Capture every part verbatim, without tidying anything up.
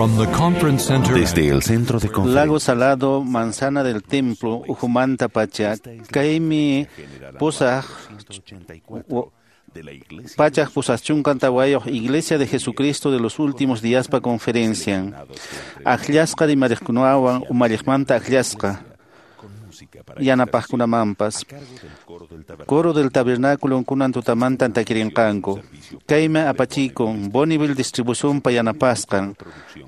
From the conference center Desde el centro de Lago conferencias Salado, Manzana del Templo, Ujumanta Pacha, Kaymi Pusaq de la Iglesia Pachaq Pusaq Chunkan Tawayuq Iglesia de Jesucristo de los Últimos Días pa conferencia. Akllasqa rimariqkunawan umalliqmanta akllasqa con música para yanapaqkunamanpas. a cargo del coro del tabernáculo Coro del Tabernáculo kunan tutamantan takirinqanku. Kaymi apachikun Bonneville Distribución pa yanapasqan.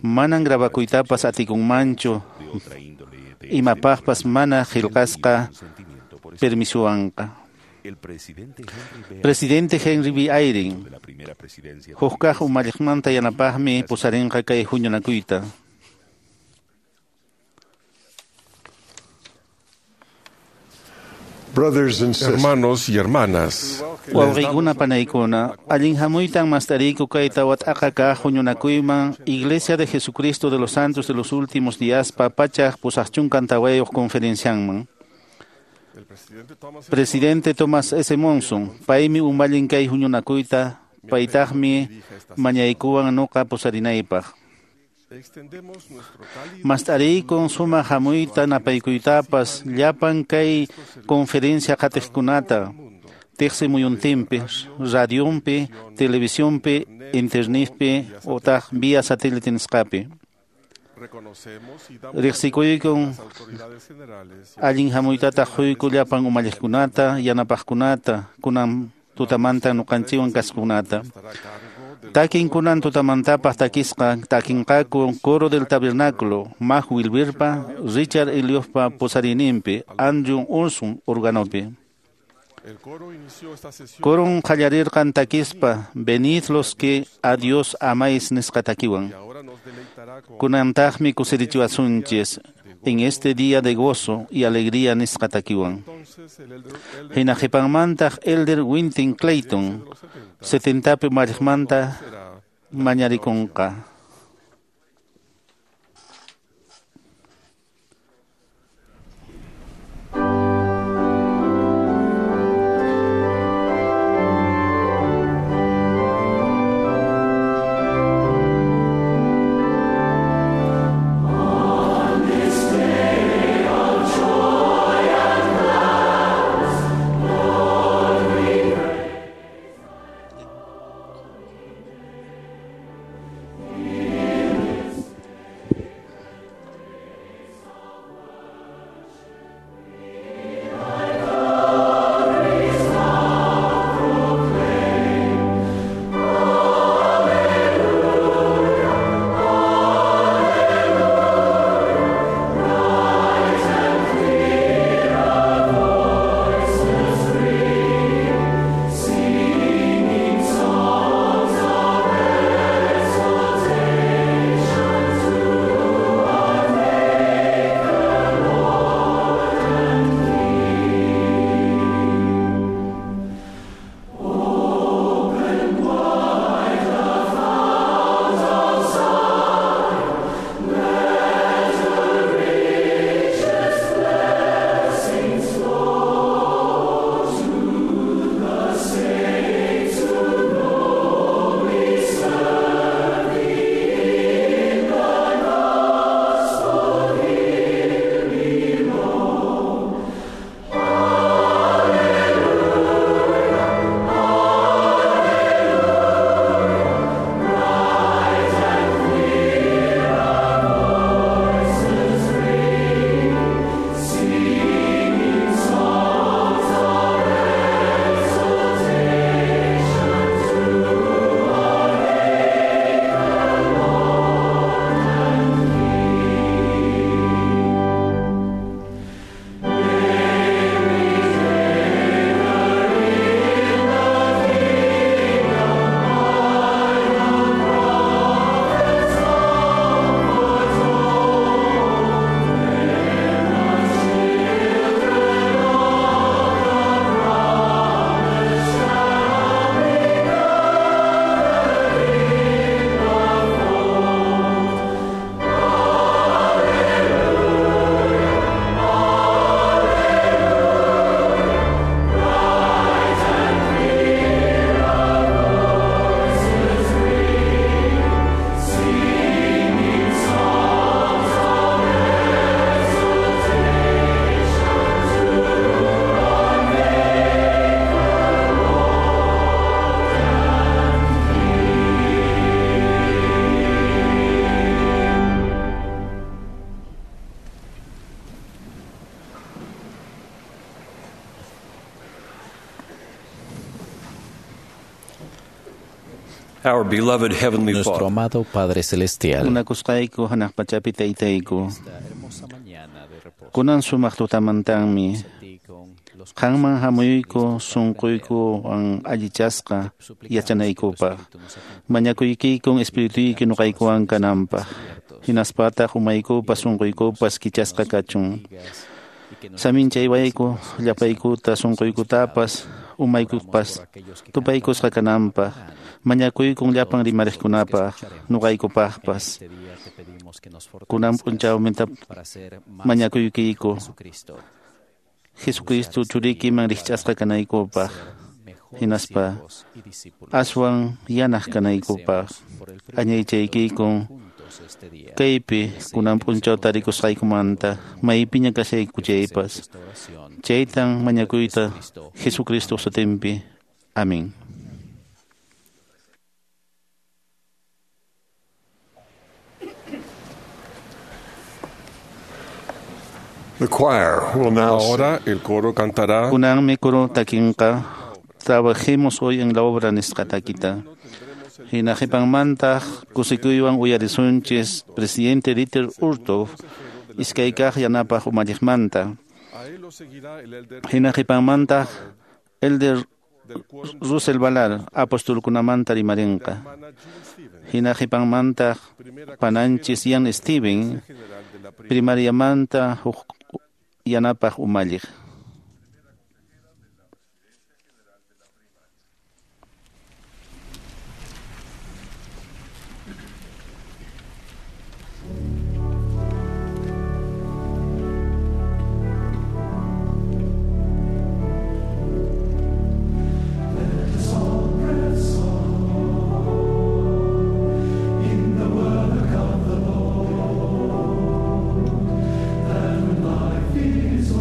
Manan grabakuytapas atikunmanchu de otra índole de imapaqpas mana qillqasqa consentimiento por permisuwanqa. el presidente Henry B. Presidente Henry B. Eyring de la primera presidencia hukkaq umalliqmanta yanapaqmi pusarinqa kay huñunakuyta. Brothers and sisters, Hermanos y hermanas, Wawqiykuna panaykuna, allin hamuytan mastariku kay tawat'aqa kaq huñunakuyman Iglesia de Jesucristo de los Santos de los Últimos Días pa pachaq pusaq chunkan tawayuq conferencianman. el presidente Thomas Presidente Thomas S. Monson, paymi umallin kay huñunakuyta, paytaqmi mañaykuwan nuqa pusarinaypaq. extendemos nuestro cálido Mast'ariykun sumaq hamuyta napaykuytapas llapan kay conferencia qatiqkunata tiqsi muyuntinpi, radionpi, televisionpi, internetpi utaq vía satélite nisqapi. reconocemos y damos Riqsikuykun a las autoridades generales y allin hamuytataq quyku llapan umalliqkunata, yanapaqkunata, kunan tutamanta nuqanchikwan kasqkunata. estará a cargo del Takin kunan tutamantapaq takisqa takinqaku Coro del Tabernáculo, Maj Wilberpa, Richard Eliospa pusarininpi, Andrew Olson organopi. el coro inició esta sesión Coron qallarirqan takispa, venid los que a Dios amáis nisqa takiwan. y ahora nos deleitará con Kunantaqmi kusirichiwasunchis en este día de gozo y alegría nisqa takiwan. entonces el elder, elder Hina qhipanmantaq Elder Winton Clayton, de los setenta setentapi umalliqmanta será mañarikunqa. Lord, Our beloved Heavenly Nuestro Father, amado Padre Celestial, Munakusqayku hanaq pachapi taytayku. esta hermosa mañana de reposo, Kunan sumaq tutamantanmi a ti con los qanman corazones hamuyku listos para aprender, sunquykuwan allichasqa suplicamos que tu yachanaykupaq. Espíritu nos acompañe Mañakuykikun espirituyki nuqaykuwan kananpaq. abiertos, Hinaspataq umaykupas y te pedimos sunquykupas kichasqa que nos kachun. bendigas y que nos Saminchaywayku muestres los llapaykuta sunquykutapas Oramos umaykupas por aquellos que tupaykusqa cantarán, kananpaq. hablarán, Mañakuykun llapan todos nosotros que rimariqkunapaq escucharemos. En nuqaykupaqpas. este día te pedimos que nos Kunan fortalezcas p'unchawminta para ser más mañakuykiyku Jesucristo, Jesucristo churiykiman rikch'asqa kanaykupaq ser mejores hinaspa siervos y discípulos. aswan yanaq Te kanaykupaq. agradecemos por el privilegio de Añaychaykikun juntos este día. kaypi Deseo kunan que nos p'unchaw encontremos tarikusqaykumanta maypiña kashayku Te ofrecemos chaypas. esta oración Chaytan en nombre de mañakuyta Jesucristo. Jesucristo sutinpi. Amén. The choir will now sing Ahora el coro cantará Kunanmi kuru takinqa trabajemos hoy en la obra nisqa takita. Hina qhipanmantaq kusikuywan uyarisunchis presidente Dieter Uchtdorf iskay kaq yanapaq umalliqmanta. A él lo seguirá el elder Hina qhipanmantaq Elder del quórum Russell Ballard apostolkunamanta rimarinqa. hermana Jean Stevens, Hina qhipanmantaq primera pananchis Ian Steven general de la primera primariamanta huk yanapaq umalliq. Life is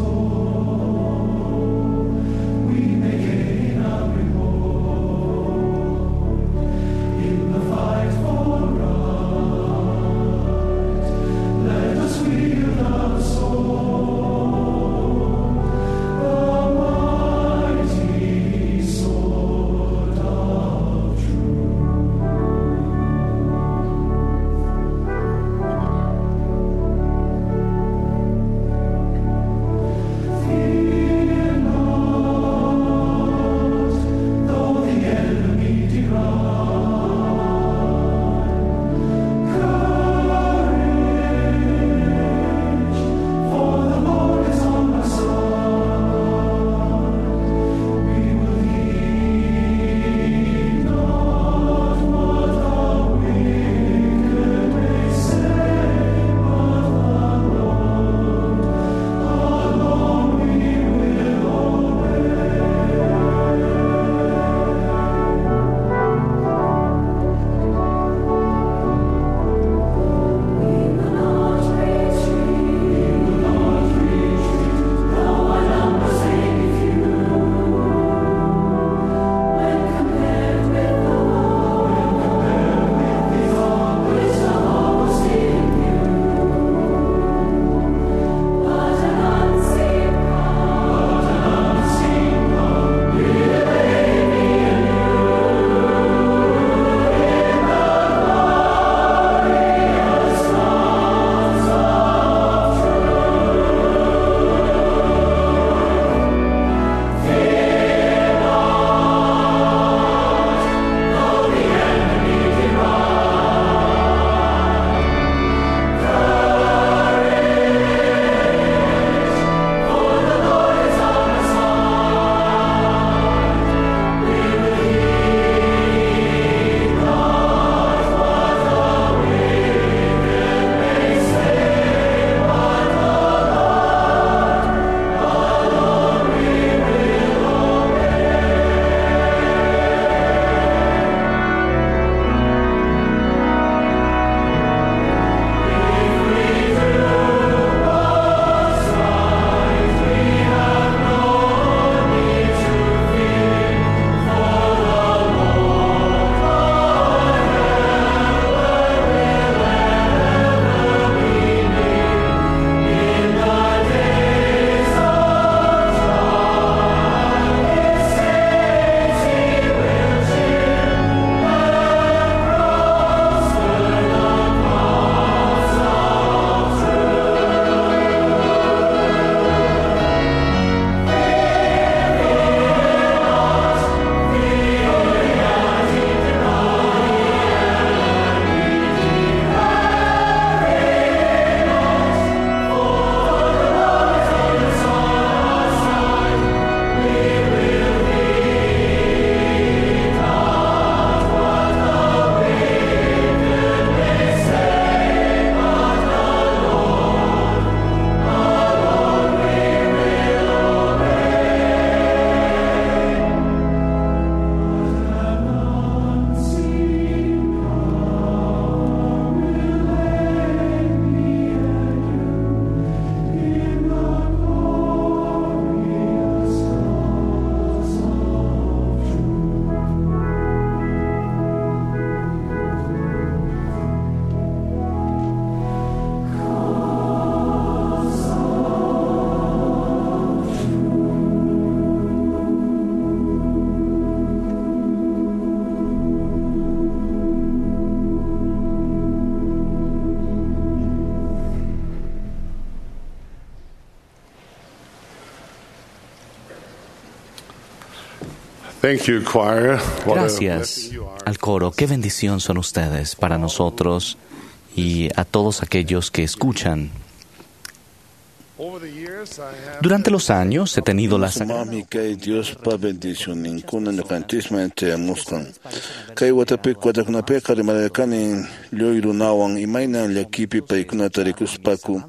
Thank you, choir. What a Gracias blessing you are. al coro. Qué bendición son ustedes para nosotros y a todos aquellos que escuchan. Over the years, I have Durante los años he tenido la sagrada Sumaqmi kay Diospa bendicioninkuna ñuqanchisman chayamusqan. Kay watapi watakunapiqa rimarqani lluy runawan imaynan llakipi paykunata rikuspaku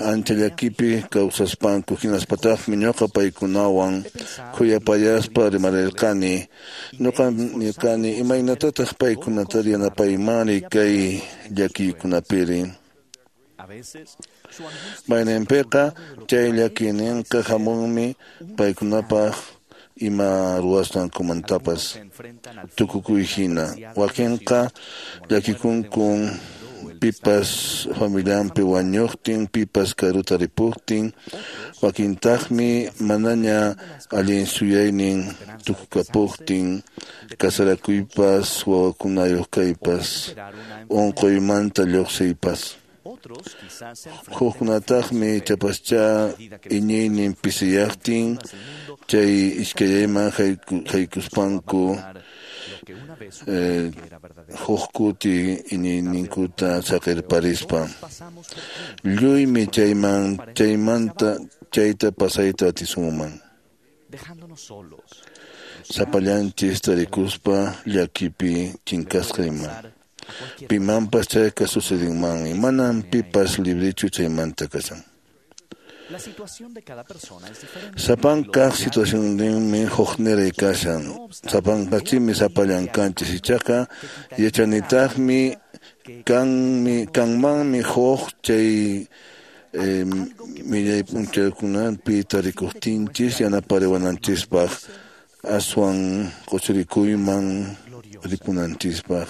ancha llakipi kawsaspanku hinaspataqmi ñuqa paykunawan khuyapayaspa rimarirqani. Ñuqa nirqani imaynatataq paykunata yanapaymani kay llakiykunapiri. A veces, su angustia Mayninpiqa chay llakiyninqa hamunmi paykunapaq ima ruwasqankumantapas se enfrentan al tukukuy hina. Wakinqa llakikunkun pipas familianpi wañuqtin, pipas karuta ripuqtin, wakintaqmi manaña allin suyaynin tukukapuqtin, kasarakuypas, wawakunayuq kaypas, unquymanta lluqsiypas. Otros quizás se enfrenten Hukkunataqmi chapascha iñiynin pisiyaqtin chay iskayayman hayku- haykuspanku lo que una vez eh, supieron que era verdadero. huk kuti iñiyninkuta saqirparispa. Pasamos por tiempos Lluymi chayman chaymanta chayta pasayta atisunman. dejándonos solos. Sapallanchis tarikuspa llakipi chinkasqa ima. Pasar a cualquier Pimanpas chayqa sucedinmanmi. Manam pipas librichu chaymanta kashan. La situación de cada persona es diferente. Sapankaq situacionninmi hukniray kashan. Sapankachimi sapallankanchis ichaqa yachanitaqmi kanmi kanmanmi huk chay eh, millay p'unchaykunapi tarikuqtinchis yanapariwananchispaq aswan quchurikuyman ripunanchispaq.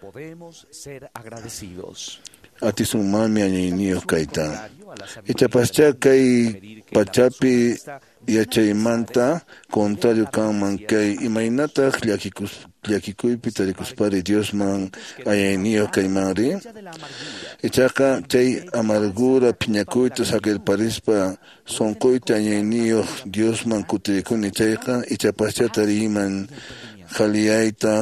Podemos ser agradecidos. Atisunmanmi añayniyuq kayta. Ichapaschá kay pachapi yachaymanta contrario kanman kay imaynataq llakikus llakikuypi tarikuspari Diosman añayniyuq kaymanri. De la amargura Ichaqa chay amargura phiñakuyta saqirparispa sunquyta añayniyuq Diosman kutirikuni chayqa ichapaschá tariyman qhaliyayta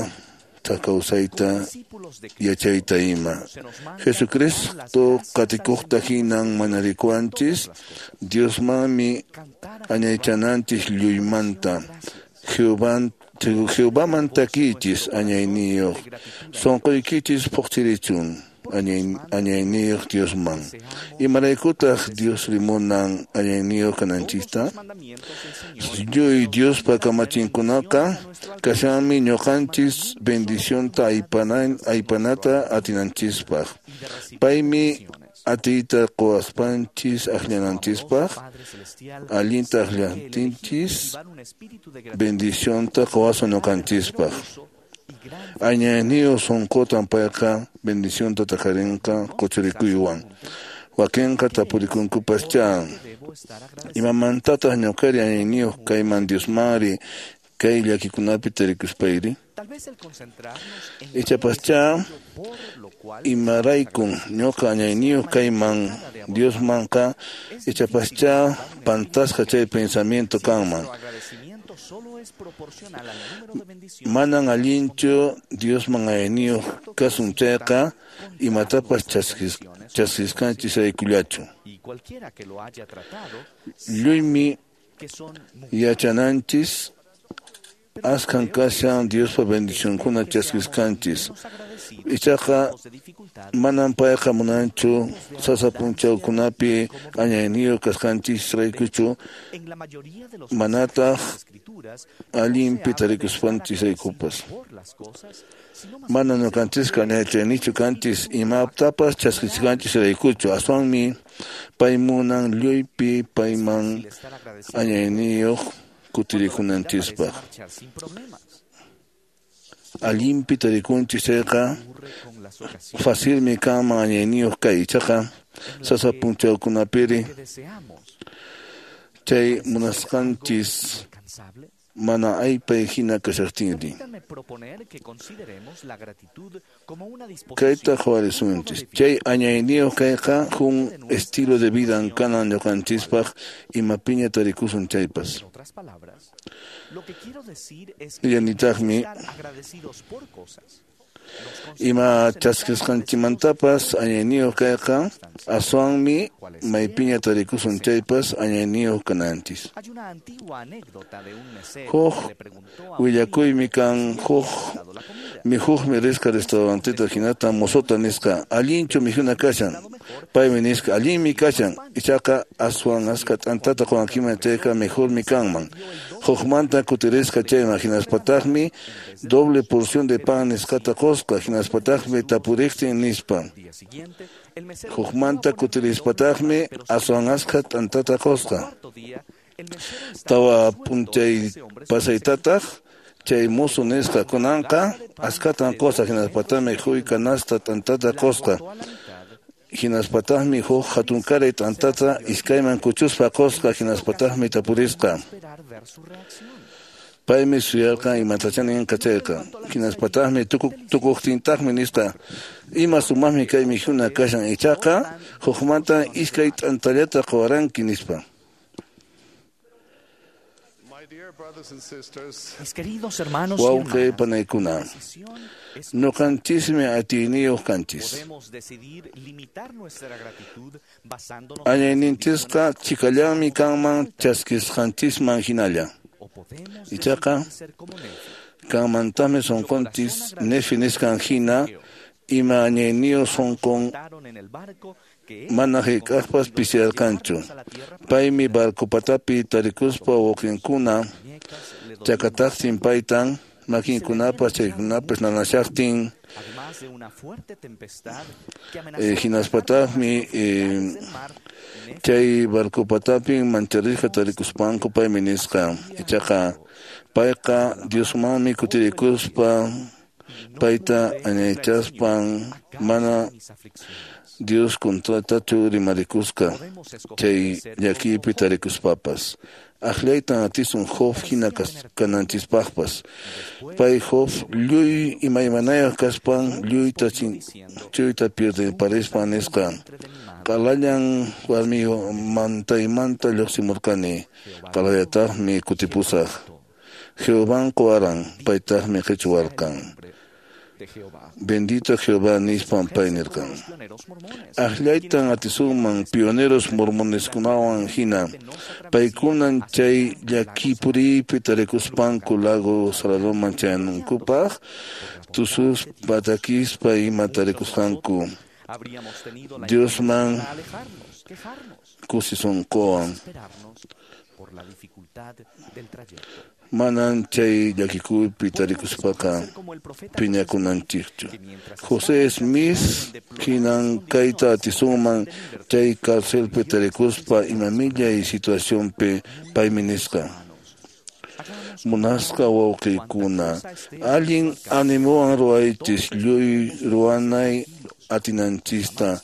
kawsayta discípulos de Cristo yachayta ima. se nos manda Jesucristo qatikuqta hinan manarikuanchis Diosmanmi cantar a añaychananchis lluymanta. Jehová Jehovaman takichis añayniyuq sunquykichis phuqchirichun añay- añayniyuq Diosman. Imaraykutaq Dios rimunan añayniyuq kananchista? los mandamientos del Señor. Lluy Diospa kamachinkunaqa kashanmi ñuqanchis bendicionta aypana- aypanata atinanchispaq. Paymi atiyta quwaspanchis akllananchispaq, Padre Celestial, allinta sabe que el elegir akllantinchis cultivar un espíritu de gratitud bendicionta quwasun ñuqanchispaq. y gran Añayniyuq sunqutan payqa bendicionta taqarinqa quchurikuywan. Wakinqa tapurikunkupaschá. debo estar agradecido. Imamantataq ñuqari añayniyuq kayman Diosmanri kay llakikunapi tarikuspayri? Tal vez el concentrarnos en Ichapaschá por lo cual imaraykun ñuqa añayniyuq kayman Diosmanqa ichapaschá pantasqa chay pensamiento kanman. nuestro agradecimiento solo es proporcional al número de bendiciones Manan allinchu Diosman añayniyuq kasun chayqa imatapas chaskis chaskisqanchis raykullachu. y cualquiera que lo haya tratado Lluymi que son muchas. yachananchis askan kashan Diospa bendicionkuna chaskisqanchis. Menos agradecidos Ichaqa tiempos de dificultad manam payqa munanchu sasa p'unchawkunapi añayniyuq kasqanchis raykuchu en la mayoría de los manataq pasajes de las escrituras allinpi no se habla de tarikuspanchis estar raykupas. agradecido por las cosas, sino más Mana bien ñuqanchisqa añaychaynichu kanchis imatapas chaskisqanchis raykuchu aswanmi pay munan lluypi payman fácil estar agradecido añayniyuq cuando la vida parece kutirikunanchispaq. marchar sin problemas. Allinpi tarikunchis chayqa Ocurre con las ocasiones facilmi kanman añayniyuq kay ichaqa sasa p'unchawkunapiri que deseamos chay munasqanchis alcanzables. Mana aypay hina kashaqtinri. Kayta qhawarisunchis. Chay añayniyuq kayqa huk estilo de vida kanan ñuqanchispaq imapiña tarikusun chaypas. Nillanitaqmi ima chaskisqanchikmantapas añayniyuq kayqa aswanmi maypiña tarikusun chaypas añayniyuq kananchis. Huk willakuymi kan huk mikhuqmi risqa restauranteta hinata mozota nisqa allinchu mikhuna kashan paymi nisqa allinmi kashan ichaqa aswan askha t'antata quwankiman chayqa mejormi kanman hukmanta kutirisqa chayman hinaspataqmi doble porción de pan nisqata qusqa hinaspataqmi tapuriqtin nispa hukmanta kutirispataqmi aswan askha t'antata qusqa tawa p'unchay pasaytataq chay mozo nisqa kunanqa askhatan qusqa hinaspataqmi huy canasta t'antata qusqa hinaspataqmi huk hatunkaray t'antata iskayman kuchuspa qusqa hinaspataqmi tapurisqa paymi suyarqan imatachá ninqa chayqa hinaspataqmi tukuqtintaqmi nisqa ima sumaqmi kay mikhuna kashan ichaqa hukmanta iskay t'antallata quwaranki nispa. Wawqi panaykuna, ñuqanchismi atiyniyuq kanchis. Añayninchisqa chikallanmi kanman chaskisqanchisman hinalla. Ichaqa kanmantaqmi sunqunchis Nefi nisqan hina ima añayniyuq sunqun mana hayk'aqpas pisiyarqanchu. Paymi barco patapi tarikuspa wawqinkuna chakataqtin paytan makinkunapas chaykunapas nanashaqtin eh, hinaspataqmi eh, chay barco patapin mancharisqa tarikuspanku paymi nisqa ichaqa payqa Diosmanmi kutirikuspa payta añaychaspan mana Dios contratachu rimarikusqa chay llakiypi tarikuspapas. Aqllaytan atisun Job hina kananchispaqpas. Pay Job lluy imaymanayuq kaspan lluyta chuyta pierdeparispan nisqa qalallan warmimantaymanta lluqsimurqani qalallataqmi kutipusaq. Jehován quwaran paytaqmi qichwarqan. Bendito Jehová nispan pay nirqan. Aqllaytan atisunman pioneros mormoneskunawan hina paykunan chay llakipuriypi tarikuspanku lago Saladoman chayanankupaq tususpa takispa ima tarikusqanku Diosman kusisunquwan. Manan chay llakikuypi tarikuspaqa phiñakunanchikchu. José Smith hinan kayta atisunman chay carcelpi tarikuspa ima millay situacionpi paymi nisqa. Munasqa wawqiykuna, allin animowan ruwaychis lluy ruwanay atinanchista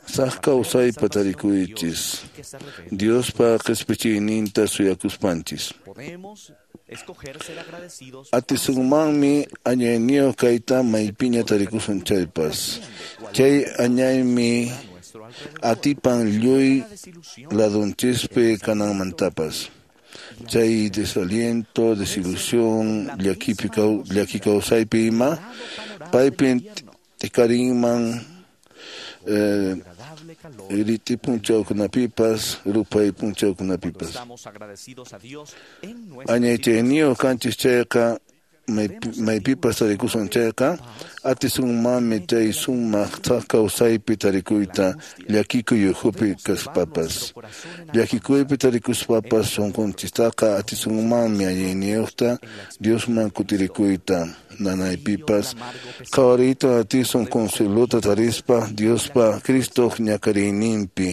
saq kawsaypa tarikuychis Diospa qispichiyninta suyakuspanchis. Atisunmanmi añayniyuq kayta maypiña tarikusun chaypas. Chay añaymi atipan lluy ladunchispi kananmantapas. Chay desaliento, desilusión, llakipi llaki kawsaypi ima paypin tikarinman eh, riti punchawkunapipas, rupay punchawkunapipas. Añaychayniyuq kanchis chayqa maypipas tarikusun chayqa atisunmanmi chay sumaq thak kawsaypi tarikuyta llakikuy ukhupi kaspapas. Llakikuypi tarikuspapas sunqunchistaqa atisunmanmi allinniyuqta Diosman kutirikuyta nanaypipas qhawariyta atisun consuelota tarispa Diospa Cristoq ñakariyninpi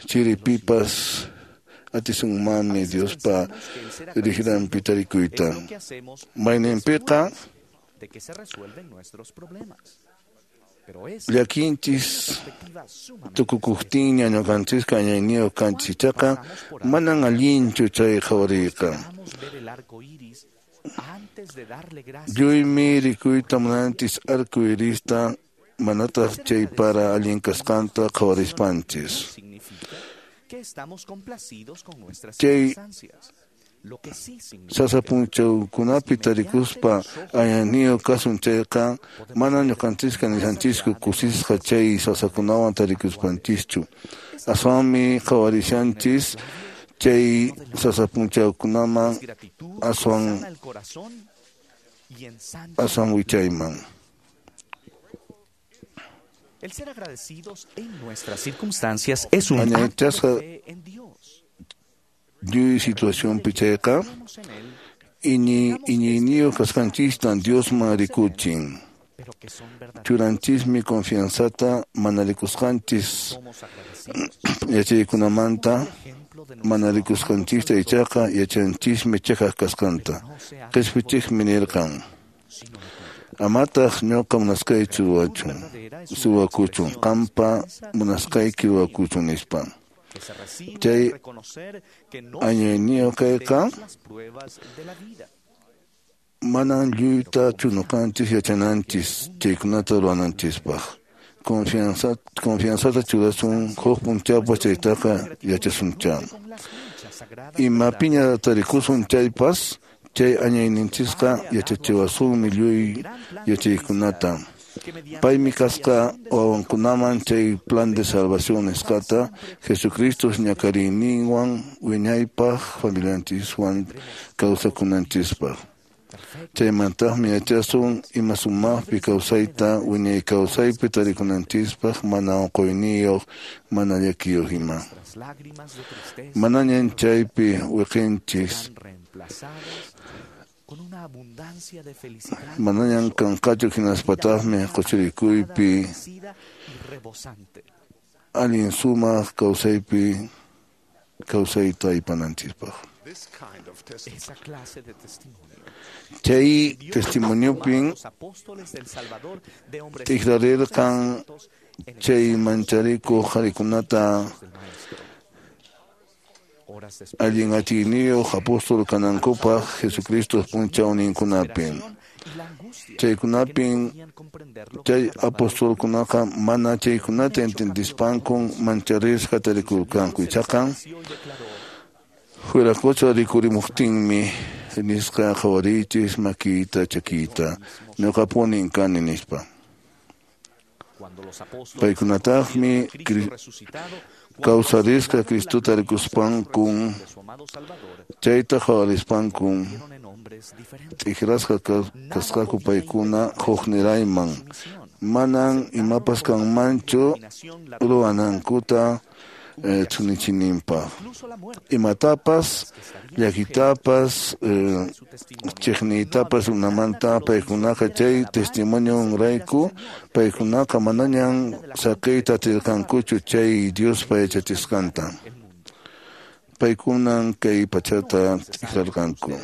chiripipas atisunmanmi Diospa riqranpi tarikuyta. Mayninpiqa de que se resuelven nuestros problemas. Llakinchis tukukuqtinña ñuqanchisqa añayniyuq kanchis, ichaqa manan allinchu chay qhawariyqa. Lluymi rikuyta munanchis arco irista, manataq chay para allin kasqanta qhawarispanchis. Chay sasa punchawkunapi tarikuspa añayniyuq kasun chayqa, mana ñuqanchisqa nishanchischu kusisqa chay sasakunawan tarikuspanchischu. Aswanmi qhawarishanchis chay sasa punchawkunaman aswan aswan wichayman. El ser agradecidos en nuestras circunstancias es un acto de fe en Dios. Lluy situacionpi chayqa iñi iñiyniyuq kasqanchistan Diosman rikuchin. Churanchismi confianzata mana rikusqanchis yachaykunamanta, mana rikusqanchista ichaqa yachanchismi chiqaq kasqanta. Qhispichiqmi nirqan: amataq ñuqa munasqaychu ruwachun, ruwakuchun, qampa munasqayki ruwakuchun, nispa. Chay añayniyuq kayqa manan lluytachu ñuqanchis yachananchis chaykunata ruwananchispaq. Confianza, confianzata churasun huk punchawpas chaytaqa yachasuncha. Imapiña tarikusun chaypas, chay añayninchisqa yachachiwasunmi lluy yachaykunata. Paymi kasqa wawankunaman chay plan de salvación nisqata Jesucristo ñakariyninwan wiñaypaq familianchiswan kawsakunanchispaq. Chaymantaqmi yachasun ima sumaqpi kawsayta wiñay kawsaypi tarikunanchispaq mana unquyniyuq, mana llakiyuq ima. Manañan chaypi wiqinchis, manañan kanqachu hinaspataqmi quchurikuypi allin sumaq kawsaypi kawsayta aypananchispaq. Chay testimoniopin tikrarirqan chay mancharikuq qharikunata allin atiyniyuq apóstol kanankupaq Jesucristo punchawninkunapin. Chaykunapin chay apostolkunaqa mana chaykunata entendispankun mancharisqa tarikurqanku, ichaqa Huiracocha rikurimuqtinmi nisqa qhawariychis makiyta chakiyta, ñuqapunin kani, nispa. Paykunataqmi kawsarisqa Cristota rikuspankun chayta qhawarispankun t'ikrasqa kasqaku paykuna huknirayman, manan imapas kanmanchu ruwanankuta thunichininpaq. Imatapas, llakitapas, chiqniytapas runamanta paykunaqa chay testimonionrayku paykunaqa manañan saqiyta atirqankuchu chay Diospa yachachisqanta. Paykunan kay pachata t'ikrarqanku.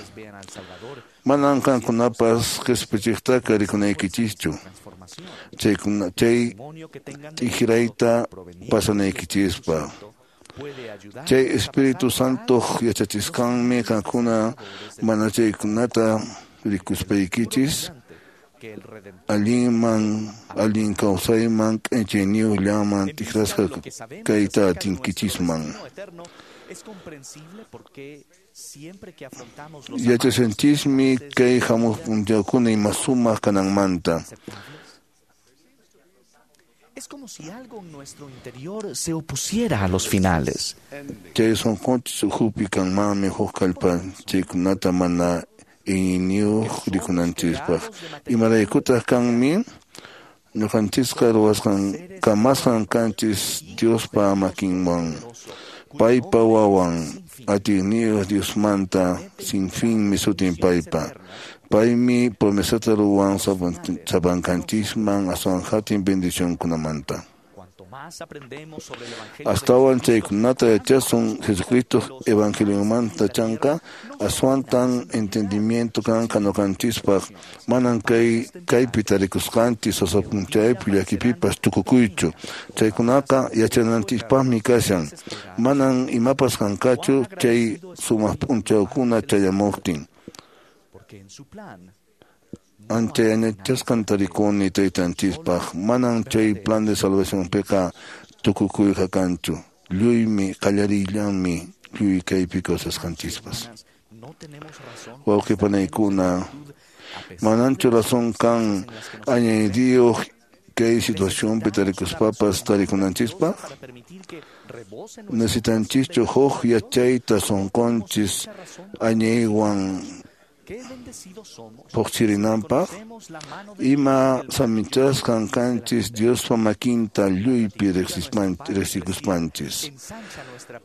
Manan qankunapas qhispichiqtaqa rikunaykichischu chaykuna chay t'ikrayta pasanaykichispaq. Chay Espíritu Santoq yachachisqanmi qankuna mana chaykunata rikuspaykichis allinman allin kawsayman k'anchayniyuqllaman t'ikrasqa kayta atinkichisman. Yachashanchismi kay hamuq punchawkuna ima sumaq kananmanta. Es como si algo en nuestro interior se opusiera a los finales. Chay sunqunchis ukhupi kanmanmi huk kallpa chaykunata mana iñiyniyuq rikunanchispaq. Imaraykutaq kanmi ñuqanchisqa ruwasqan kamasqan kanchis Diospa makinwan. Paypa wawan atiyniyuq Diosmanta sin finmi sutin paypa. Paymi promesata ruwan sapankanchisman aswan hatun bendicionkunamanta. Astawan chaykunata yachasun Jesucristo evangeliomanta chanka aswantan entendimiento kanqa ñuqanchispaq manan kay kaypi tarikusqanchis sasa p'unchaypi llakipipas tukukuychu chaykunaqa yachananchispaqmi kashan manan imapas kanqachu chay sumaq p'unchawkuna chayamuqtin. Ancha añachasqan tarikuni taytanchispaq manan chay plan de salvacionpiqa tukukuyqa kanchu lluymi qallariyllanmi lluy kaypi kawsasqanchispas. Wawqi panaykuna mananchu razón kan añaydiyuq kay situacionpi tarikuspapas tarikunanchispaq necesitanchischu huk yachayta sunqunchis añaywan puqchirinanpaq ima saminchasqan kanchis Diospa makinta lluypi riqsikuspanchis.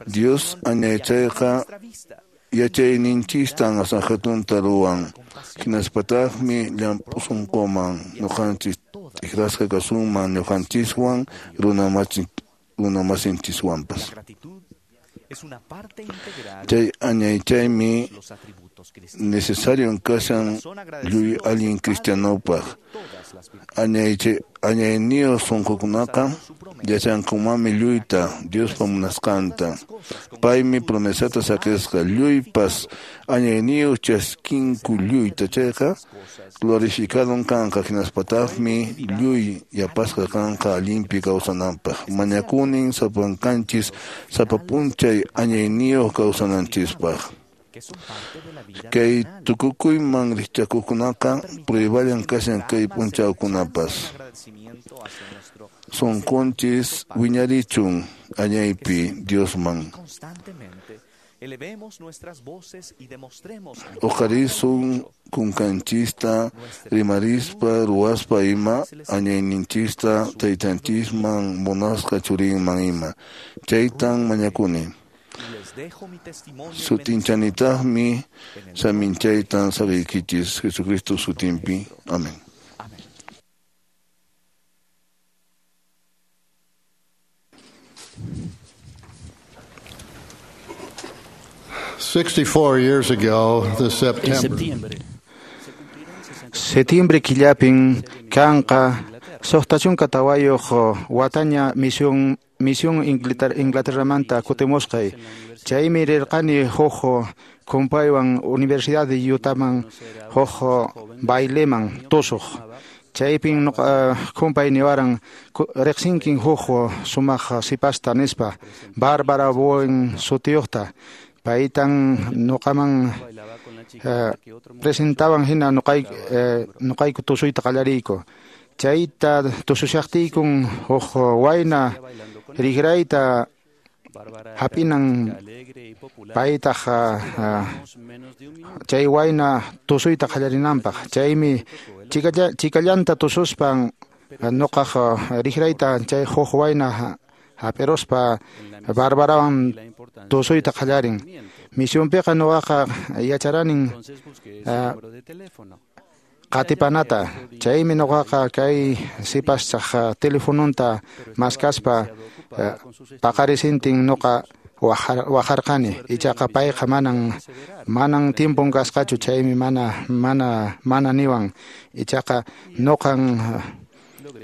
Dios añaychayqa yachayninchistan asahatunta ruwan hinaspataqmi llamp'u sunquman ñuqanchis t'ikrasqa kasunman ñuqanchiswan runamasinchiswanpas. Chay añaychaymi necesario kashan lluy allin cristianopaq añayniyuq sunqukunaqa yachankumanmi lluyta Diospa munasqanta paymi promesata saqisqa lluypas añayniyuq chaskinku lluyta chayqa glorificadon kanqa hinaspataqmi lluy yapasqa kanqa allinpi kawsananpaq mañakunin sapankanchis sapa p'unchay añayniyuq kawsananchispaq. Kay tukukuyman rikchakuqkunaqa prueballan kashan kay p'unchawkunapas. Sunqunchis wiñarichun añaypi Diosman. Uqarisun kunkanchista rimarispa ruwaspa ima añayninchista taytanchisman munasqa churinman ima. Chaytan mañakuni. Sutinchanitaqmi saminchaytan saqiykichis Jesucristo sutinpi. Amén. Sixty-four years ago, this September. Septiembre killapin kanqa suqta chunka tawayuq wataña misión misión Inglaterramanta kutimusqay chaymi rirqani huk kumpaywan Universidad de Utahman huk baileman tusuq chaypin nuqa kumpay niwaran riqsinkin huk sumaq sipasta nispa Bárbara Bowen sutiyuqta paytan nuqaman presentaban hina nuqay nuqayku tusuyta qallariyku chayta tusushaqtiykun huk wayna riqrayta hap'inan paytaq chay wayna tusuyta qallarinanpaq chaymi chikallanta tususpan nuqaq riqrayta chay huk wayna hap'iruspa Bárbarawan tusuyta qallarin misionpiqa nuqaqa yacharanin qatipanata chaymi nuqaqa kay sipaschaq telefononta maskaspa paqarisintin nuqa wajarqani ichaqa payqa manan manan tiempon kasqachu chaymi mana mana mana niwan ichaqa nuqan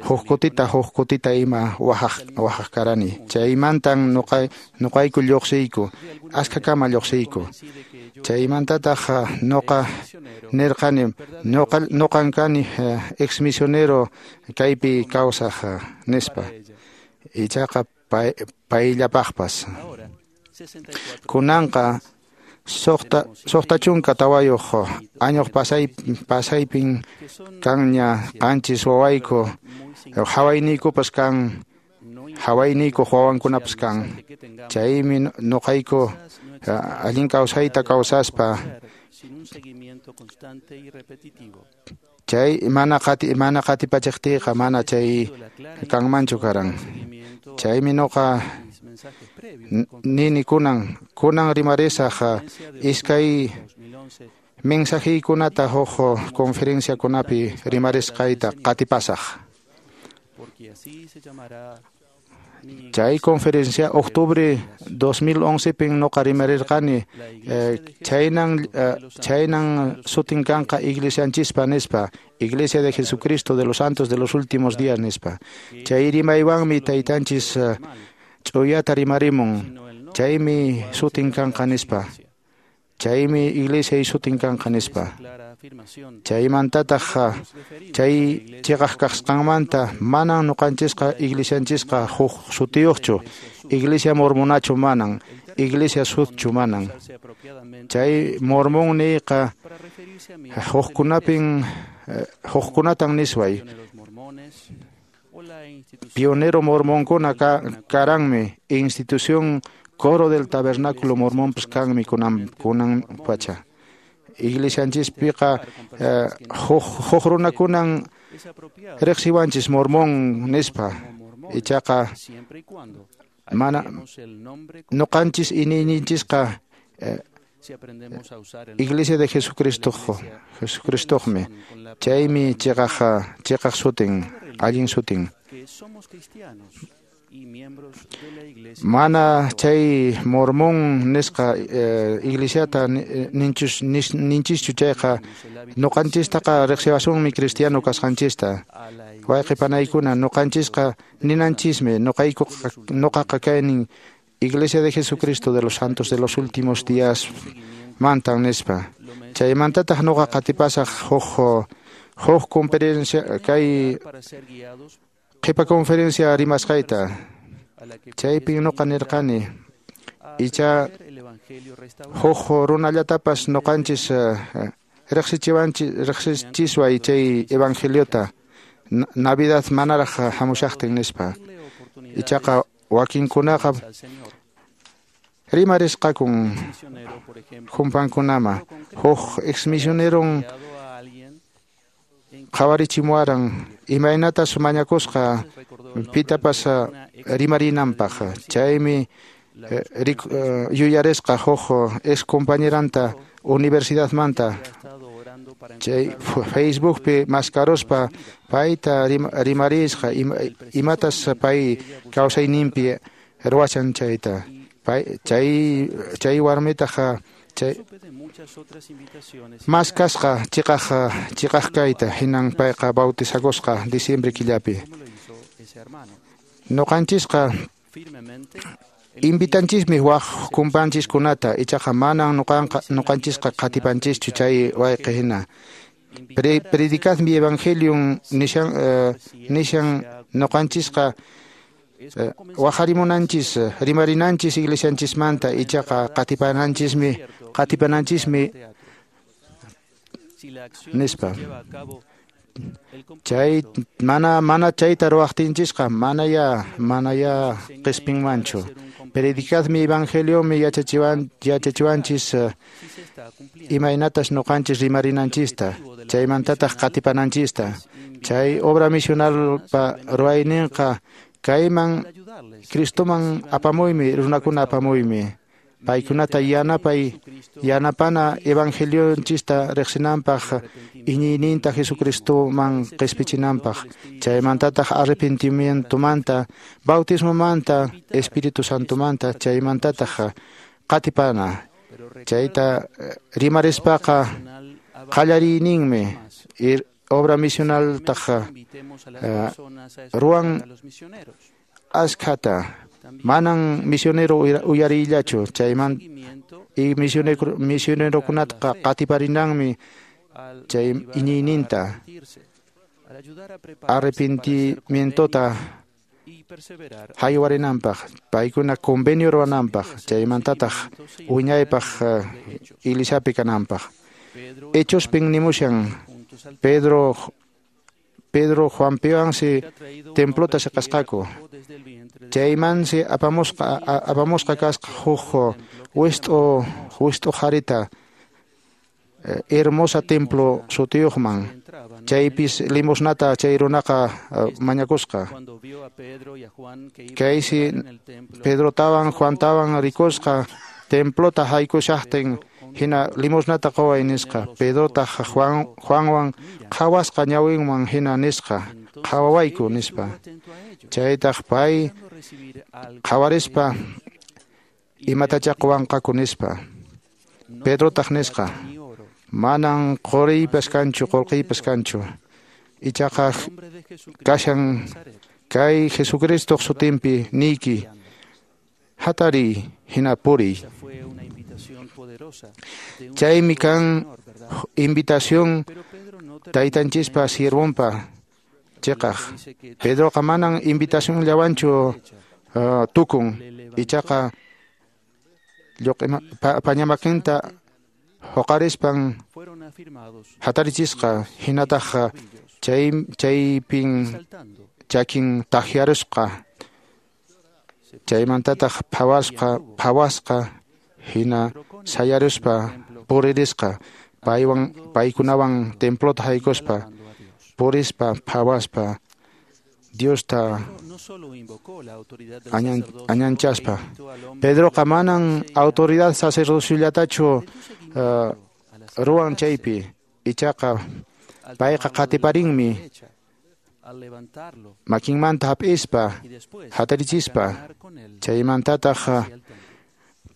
huk kutita huk kutita ima wajaq wajaq karani chaymantan nuqay nuqayku lluqsiyku askhakama lluqsiyku chaymantataq nuqa nirqani nuqa nuqan kani ex misionero kaypi kawsaq nispa ichaqa pay payllapaqpas kunanqa suqta suqta chunka tawayuq añuq pasay pasaypin kanña qanchis wawayku hawayniykupas kan hawayniyku wawankunapas kan chaymi nuqayku allin kawsayta kawsaspa chay mana qati mana qatipachiqtiyqa mana chay kanmanchu karan chaymi nuqa nini kunan kunan rimarisaq iskay mensajeykunata huk conferenciakunapi rimarisqayta qatipasaq Chay conferencia octubre dos mil once pin noqa rimarirqani chaynan chaynan sutin kanqa iglesianchispa nispa, Iglesia de Jesucristo de los Santos de los Últimos Días nispa. Chay rimaywanmi taytanchis ch'uyata rimarimun, chaymi sutin kanqa nispa. Chaymi iglesia sutin kanqa nispa. Chaymantataq chay chiqaq kasqanmanta manan nuqanchisqa iglesianchisqa huk sutiyuqchu, iglesia mormonachu manan, iglesia sutchu manan. Chay mormón niyqa hukkunapin hukkunatan nisway. Pionero mormonkuna karanmi, institución Coro del Tabernáculo Mormón pues kanmi kunan kunan pacha. Iglesianchispiqa huk runakunan riqsiwanchis mormón nispa, ichaqa mana nuqanchis iñiyninchisqa Iglesia de Jesucristo Jesucristoqmi, chaymi chiqaq chiqaq sutin, allin sutin. Mana chay mormón nisqa iglesiata ninchus ninchischu chayqa nuqanchistaqa riqsiwasunmi cristiano kasqanchista. Wayqi panaykuna nuqanchisqa ninanchismi nuqayku nuqaqa kaynin Iglesia de Jesucristo de los Santos de los Últimos Días mantan nispa. Chaymantataq nuqa qatipasaq huk huk conferencia kay qhipa conferencia rimasqayta. Chaypi nuqa nirqani icha huk runallatapas nuqanchis riqsichiwanchis riqsichisway chay evangeliota Navidad manaraq hamushaqtin nispa. Ichaqa wakinkunaqa rimarisqakun humpankunama huk exmisioneron qhawarichimuwaran imaynatas mañakusqa pitapas rimarinanpaq. Chaymi yuyarisqa huk ex compañeranta universidadmanta chay Facebookpi maskaruspa payta rimarisqa imatas pay kawsayninpi ruwashan chayta. Pay chay chay warmitaqa chay maskasqa chiqaq chiqaq kayta hinan payqa bautizakusqa diciembre killapi. Nuqanchisqa invitanchismi waq kumpanchiskunata, ichaqa manan nuqanqa nuqanchisqa qatipanchischu chay wayqi hina. Pre, predicad mi evangelium nishan uh, nishan nuqanchisqa uh, waqarimunanchis rimarinanchis iglesianchismanta, ichaqa qatipananchismi qatipananchismi nispa. Chay mana mana chayta ruwaqtinchisqa mana ya mana ya qispinmanchu. Predicad mi evangeliomi yachachiwan yachachiwanchis uh, imaynatas nuqanchis rimarinanchista, chaymantataq qatipananchista. Chay obra misionalpa ruwayninqa kayman Cristoman apamuymi, runakuna apamuymi. Paykunata yanapay yanapana evangelionchista riqsinanpaq, iñiyninta Jesucristoman qispichinanpaq, chaymantataq arrepentimientomanta, bautismomanta, Espíritu Santomanta, chaymantataq qatipana. Chayta rimarispaqa qallariyninmi obra misionaltaq ruwan askhata. Manan misionero uyarillachu chayman y misionero misionerokunataqa qatiparinanmi chay iñiyninta arrepentimientota haywarinanpaq, paykuna convenio ruwananpaq, chaymantataq wiñaypaq iglesiapi kananpaq. Hechospin nimushan Pedro Pedro Juan Piwansi templota siqasqaku. Chaymansi apamusqa apamusqa kasqa huk wist'u wist'u qharita hermosa templo sutiyuqman. Chaypis limosnata chay runaqa mañakusqa. Kaysi Pedrotawan Juantawan rikusqa templota haykushaqtin Hina limosnata qoway nisqa. Pedrotaq Juan, Juanwan qhawasqa ñawinman hina nisqa, qhawawayku nispa. Chaytaq pay qhawarispa imatacha qowanqaku nispa. Pedrotaq nisqa, manan qoriypas kanchu, qolqiypas kanchu. Ichaqa kashan kay Jesucristoq sutinpi niyki, hatariy hina puriy. Chaymi kan invitación taytanchispa siervonpa chiqaq. Pedroqa manan invitación llawanchu uh, tukun, ichaqa lluq'ima pa, pañamakinta huqarispan hatarichisqa, hinataq chay chaypin chakin tahyarusqa, chaymantataq phawasqa phawasqa hina sayaruspa puririsqa, paywan paykunawan templota haykuspa purispa phawaspa Diosta añan, añanchaspa. Pedroqa manan autoridad sacerdociollatachu uh, ruwan chaypi, ichaqa payqa qatiparinmi makinmanta hap'ispa hatarichispa, chaymantataq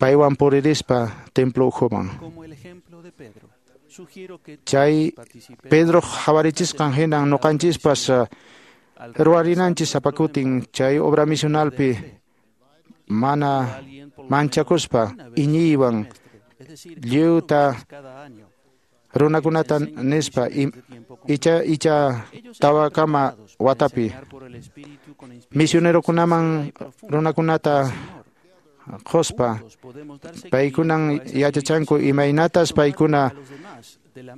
paywan puririspa templo ukhuman. Chay Pedro hawarichisqan hinan ñuqanchispas ruwarinanchis sapakutin chay obra misionalpi mana manchakuspa iñiywan lliwta runakunata nispa icha icha tawakama watapi misionerokunaman runakunata qospa paykunan yachachanku imaynatas paykuna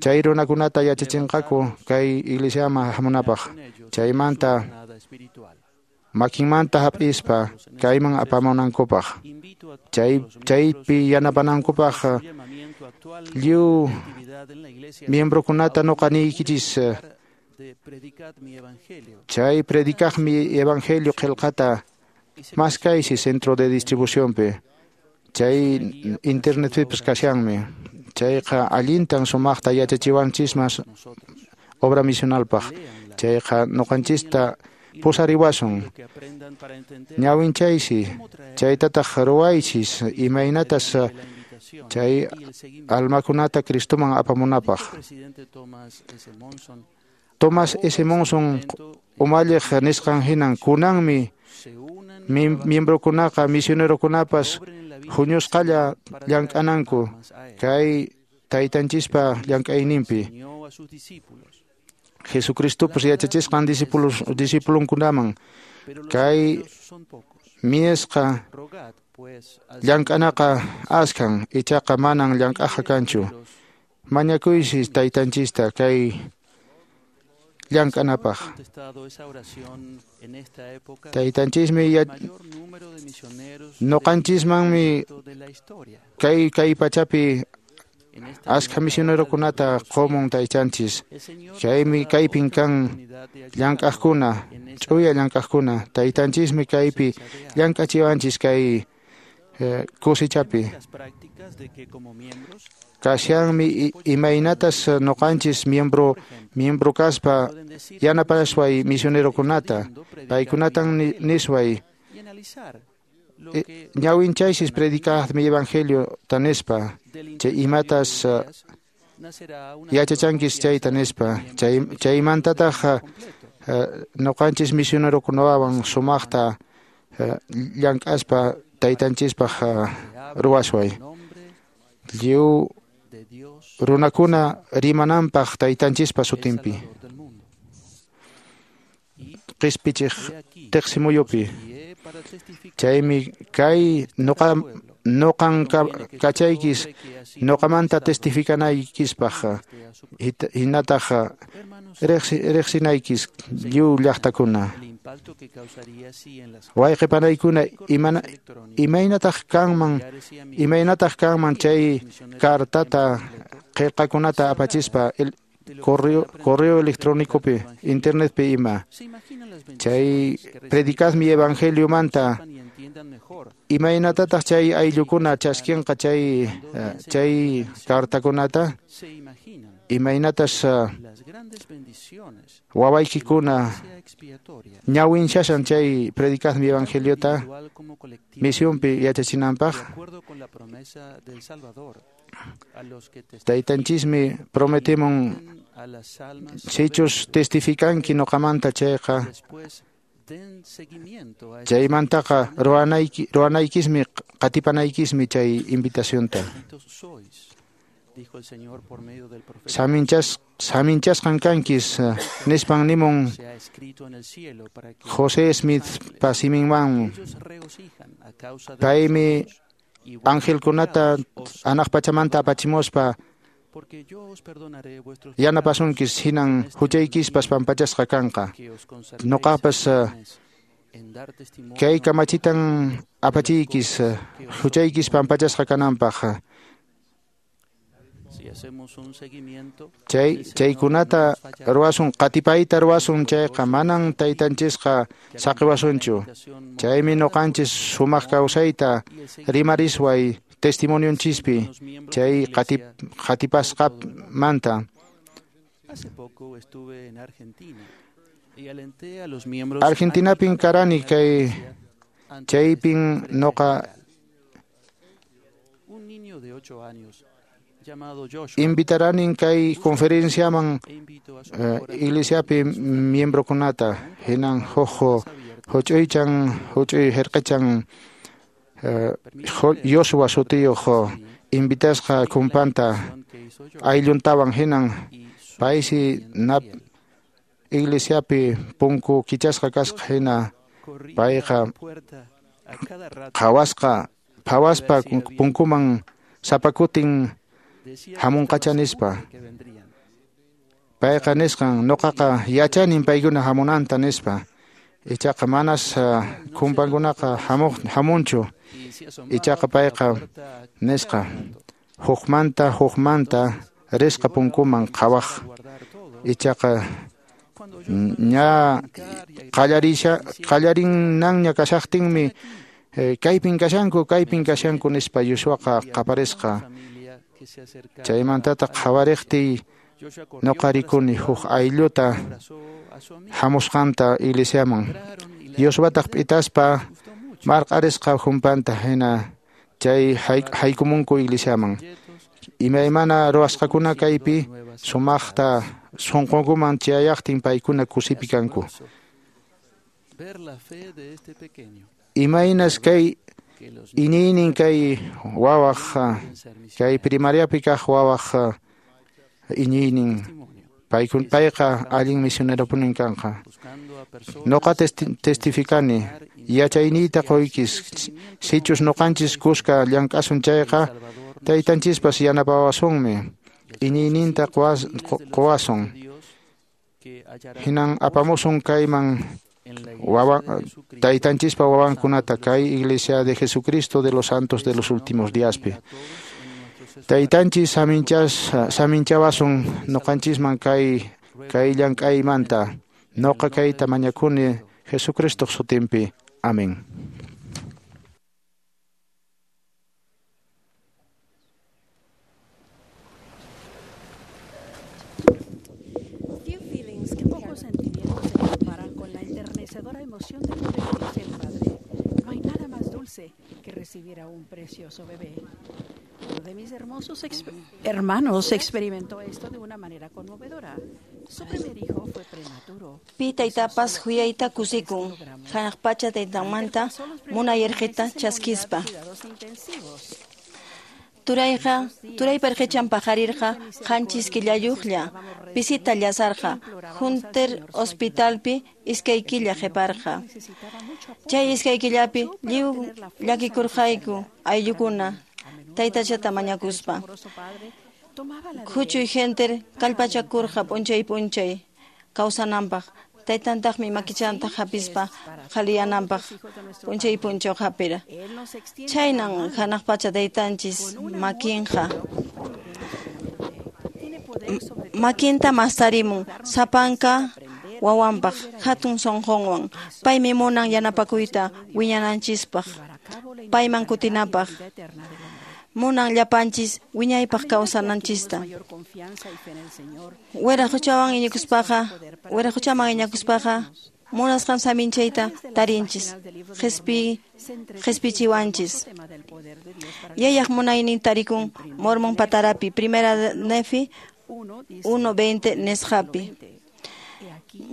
chay runakunata yachachinqaku kay iglesiaman hamunapaq, chaymanta makinmanta hap'ispa kayman apamunankupaq, chay chaypi yanapanankupaq lliw miembrokunata nuqa niykichis chay predicaqmi evangelio qillqata maskaysi centro de distribucionpi, chay internetpipas kashanmi. Chayqa allintan sumaqta yachachiwanchismas obra misionalpaq, chayqa ñuqanchista pusariwasun. Ñawinchaysi chaytataq ruwaychis imaynatas chay almakunata Cristoman apamunapaq. Thomas S. Monson umalliq nisqan hinan kunanmi miembrokunaqa misionerokunapas huñusqalla llank'ananku kay taytanchispa llank'ayninpi. Jesucristopas yachachisqan discípulos discipulunkunaman kay miesqa llank'anaqa askan, ichaqa manan llank'aqa kanchu. Mañakuysis taytanchista kay llank'anapaq. Taytanchismi ñuqanchismanmi kay kay pachapi askha misionerokunata qomun taytanchis. Chaymi kaypin kan llank'aqkuna, ch'uya llank'aqkuna. Taytanchismi kaypi llank'achiwanchis kay eh, kusichapi. Kashanmi imaynatas ñuqanchis miembro miembro kaspa yanapasway misionerokunata, paykunatan nisway ñawinchaysis predicaqmi evangelio tanispa, chay imatas yachachankis chayta nispa, chay chaymantataq ñuqanchis misionerokunawan sumaqta llank'aspa taytanchispaq ruwasway. Lliw runakuna rimananpaq taytanchispa sutinpi qispichiq tiqsimuyupi. Chaymi kay nuqa nuqan kachaykis nuqamanta testificanaykispaq hinataq riqsinaykis lliw llaqtakuna. Wayqi panaykuna imana imaynataq kanman imaynataq kanman chay cartata qillqakunata apachispa correo correo electrónicopi internetpi ima. Chay predicadmi evangelio manta Imaynatataq chay ayllukuna chaskinqa chay chay cartakunata? Imaynatas wawaykikuna ñawinchashan chay predicad mi evangeliota misionpi yachachinanpaq? Taytanchismi prometimun sichus testificanki noqamanta chayqa chaymantaqa ruwanayki ruwanaykismi qatipanaykismi chay invitacionta. Saminchas saminchasqan kankis nispan nimun José Smith pasiminman paymi angelkunata anaq pachamanta apachimuspa yanapasunkis hinan huchaykispas pampachasqa kanqa. Noqapas kay kamachitan apachiykis huchaykis pampachasqa kananpaq. Chay chaykunata ruwasun qatipayta ruwasun chayqa manan taytanchisqa saqiwasunchu. Chaymi noqanchis sumaq kawsayta rimarisway testimonionchispi chay qatip qatipasqamanta. Argentinapin karani kay chaypin noqa invitaranin kay conferenciaman uh, iglesiapi miembrokunata hinan huk huch'uychan huch'uy hirqichan uh, Joshua sutiyuq invitasqa kumpanta aylluntawan hinan paysi nap iglesiapi punku kichasqa kasqa hina payqa qhawasqa phawaspa punkuman sapakutin hamunqacha nispa. Payqa nisqan noqaqa yachanin paykuna hamunanta nispa. Ichaqa manas uh, kumpankunaqa hamuq hamunchu. Ichaqa payqa nisqa hukmanta hukmanta risqa punkuman qhawaq. Ichaqa ña qallarisha qallarinanña kashaqtinmi eh, kaypin kashanku kaypin kashanku nispa Yoshuaqa qaparisqa. Chaymantataq qhawariqtiy noqa rikuni huk aylluta hamusqanta iglesiaman. Yoshuataq p'itaspa marq'arisqa humpanta hina chay haykumunku iglesiaman. Imaymana ruwasqakuna kaypi sumaqta sunqunkuman chayaqtin paykuna kusipi kanku. Imaynas kay iñiynin kay wawaq kay primariapi kaq wawaq iñiynin paykun payqa allin misioneropunin kanqa. Noqa testificani yachayniyta qoykis sichus noqanchis kuska llank'asun chayqa taytanchispas yanapawasunmi iñiyninta qowasun hinan apamusun kayman wawa taytanchispa wawankunata kay Iglesia de Jesucristo de los Santos de los Últimos Díaspi. Taytanchis saminchas saminchawasun noqanchisman kay kay llank'aymanta. Noqa kayta mañakuni Jesucristoq sutinpi. Amén. Pocos sentimientos se comparan con la enternecedora emoción de convertirse en padre. No hay nada más dulce que recibir a un precioso bebé. Uno de mis hermosos exper hermanos experimentó esto de una manera conmovedora. Su primer hijo fue prematuro. Pi taytapas huyayta kusikun, hanaq pacha taytanmanta munay irqita chaskispa. Turayqa, turaypa irqichan paqarirqa qanchis killayuqlla, pisita llasarqa, Hunter Hospitalpi iskay killa qhiparqa. Chay iskay killapi lliw llakikurqayku ayllukuna taytachata mañakuspa. Huchuy Hunter kallpachakurqa p'unchay p'unchay kawsananpaq, taytantaqmi makichanta hapispa qhaliyananpaq p'unchay p'unchaw hapira. Chhaynan hanaq pacha taytanchis makinqa. Makinta mastarimun sapanka wawanpaq hatun sunqunwan. Paymi munan yanapakuyta wiñananchispaq, payman kutinapaq. Munan llapanchis wiñaypaq kawsananchista. Wiraquchawan iñikuspaqa, wiraquchaman iñakuspaqa munasqan saminchayta tarinchis, qhispi qhispichiwanchis. Yayaq munaynin tarikun Mormon patarapi, Primera Nefi uno veinte nisqapi.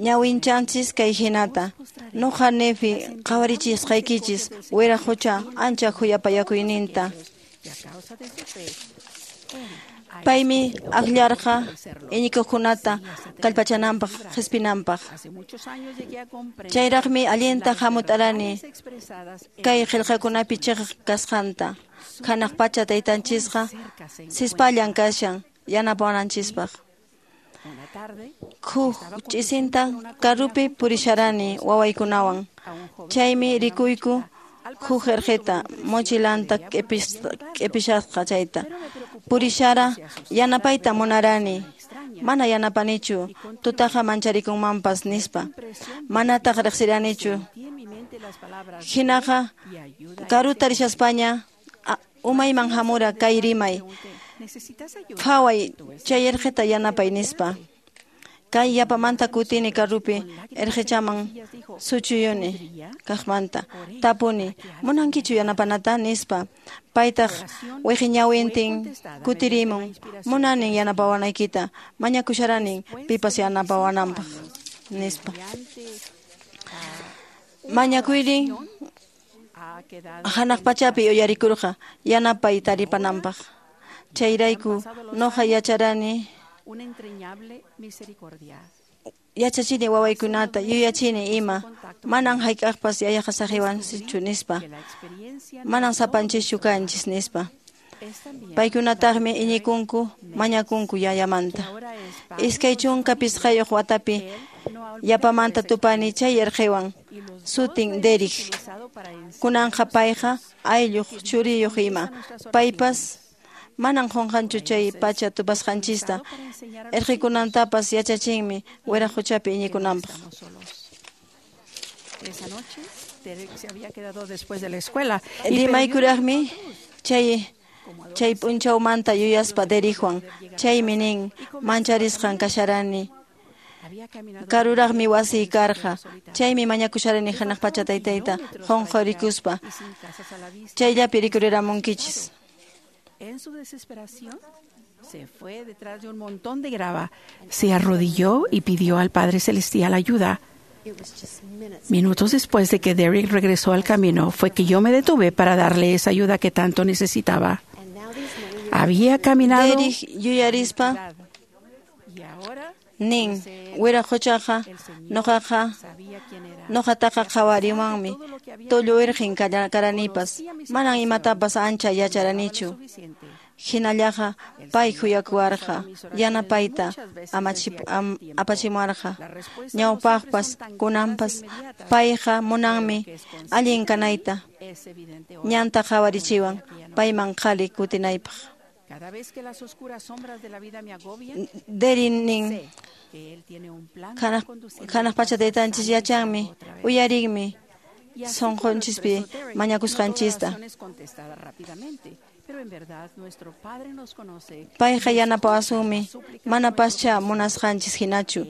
Ñawinchanchis kay hinata. Nuqa Nefi qhawarichisqaykichis wiraqucha ancha khuyapayakuyninta. Paymi akllarqa iñikuqkunata kallpachananpaq qhispinanpaq. Chayraqmi allinta hamut'arani kay qillqakunapi chiqaq kasqanta. Hanaq pacha taytanchisqa sispallan kashan yanapawananchispaq. Huk ch'isinta karupi purisharani wawaykunawan. Chaymi rikuyku huk irqita mochilanta q'ipishasqa chayta. Purishara yanapayta munarani. Mana yanapanichu, tutaqa mancharikunmanpas nispa. Manataq riqsiranichu. Hinaqa karuta rishaspaña umayman hamura kay rimay. Phaway chay irqita yanapay nispa. Kay yapamanta kutini karupi irqichaman suchuyuni kaqmanta. Tapuni, munankichu yanapanata nispa. Paytaq wiqiñawintin kutirimun, munanin yanapawanaykita, mañakusharanin pipas yanapawananpaq nispa. Mañakuyrin hanaq pachapi uyarikurqa yanapay taripananpaq. Chayrayku nuqa yacharani yachachini wawaykunata yuyachini ima manan hayk'aqpas yayaqa saqiwansichu nispa, manan sapanchischu kanchis nispa. Paykunataqmi iñikunku mañakunku yayamanta. Iskay chunka pisqayuq watapi yapamanta tupani chay irqiwan sutin Derek. Kunanqa payqa aylluq churiyuq ima. Paypas manan qunqanchu chay pacha tupasqanchista. Irqikunantapas yachachinmi wiraquchapi iñikunanpaq. Rimaykuraqmi chay chay p'unchawmanta yuyaspa Derekwan. Chaymi nin mancharisqan kasharani. Karuraqmi wasiy karqa. Chaymi mañakusharani hanaq pacha taytayta qunqurikuspa. Chayllapi rikuriramunkichis. En su desesperación, se fue detrás de un montón de grava, se arrodilló y pidió al Padre Celestial ayuda. Minutos después de que Derek regresó al camino, fue que yo me detuve para darle esa ayuda que tanto necesitaba. Había caminado. Derek yuyarispa nin wiraquchaqa nuqaqa nuqataqa qhawariwanmi tullu irqin karanipas manan imatapas ancha yacharanichu. Hinallaqa pay khuyakuwarqa yanapayta apachimuwarqa. Ñawpaqpas kunanpas payqa munanmi allin kanayta. Ñanta qhawarichiwan payman qhali kutinaypaq. Derek nin hanaq pacha taytanchis yachanmi uyarinmi sunqunchispi mañakusqanchista. Payqa yanapawasunmi manapascha munasqanchis hinachu.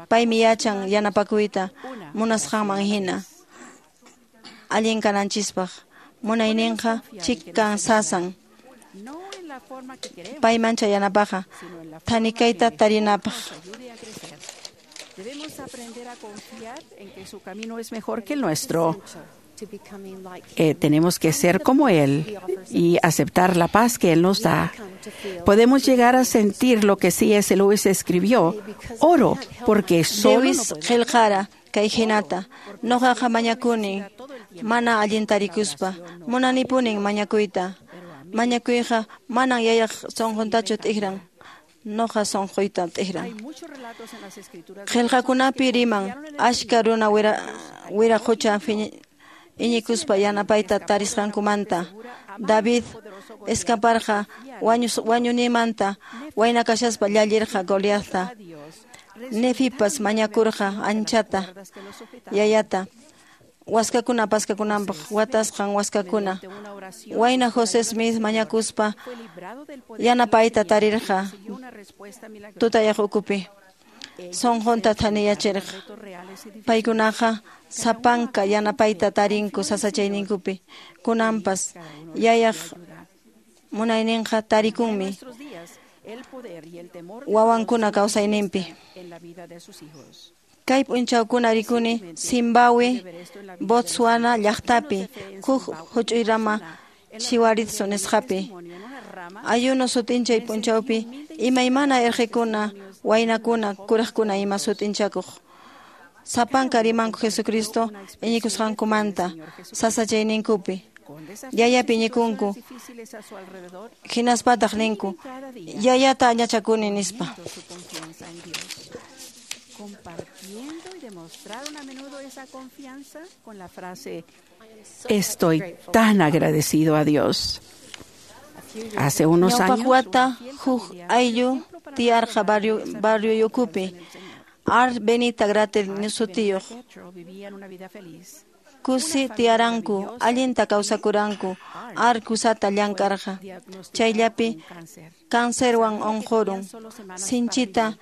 Paymi yachan yanapakuyta munasqanman hina allin kananchispaq. Munayninqa chikan sasan. Payman chayanapaqa thanikayta tarinapaq. Debemos aprender a confiar en que su camino es mejor que el nuestro. Eh, tenemos que ser como Él y aceptar la paz que Él nos da. Podemos llegar a sentir lo que C S Lewis escribió: oro, porque solo Lewis qillqara kay hinata. Nuqaqa mañakuni mana allintarikuspa. Munanipunin mañakuyta. Mañakuyqa manan yayaq sunquntachu t'ikran. Nuqa sunquyta t'ikran. Qillqakunapi riman achka runa wiraqucha iñikuspa yanapayta tarisqankumanta. David escaparqa wañunimanta wayna kashaspa llallirqa Goliathta. Nefipas mañakurqa anchata yayata waskakuna paskakunanpaq watasqan waskakuna. Wayna José Smith mañakuspa yanapayta tarirqa tutayaq ukupi. Sunqunta thaniyachirqa. Paykunaqa sapanka yanapayta tarinku sasachayninkupi. Kunanpas yayaq munayninqa tarikunmi wawankuna kawsayninpi. Kay p'unchawkuna rikuni Zimbabue, Botswana llaqtapi huk huch'uy rama Chiwaritsu nisqapi. Ayuno sut'inchay p'unchawpi imaymana irqikuna, waynakuna, kuraqkuna ima sut'inchakuq. Sapanka rimanku Jesucristo iñikusqankumanta sasachayninkupi. Yayapi iñikunku, hinaspataq ninku, yayata añachakuni nispa. Compartiendo y demostraron a menudo esa confianza con la frase Estoy tan agradecido a Dios. Hace unos años, Ñawpaq wata huk ayllu tiyarqa barrio barrioyukupi. Ar Benita Gratel sutiyuq. Kusi tiyaranku, allinta kawsakuranku, ar kusata llank'arqa. Chayllapi cancerwan unqurun. Sinchita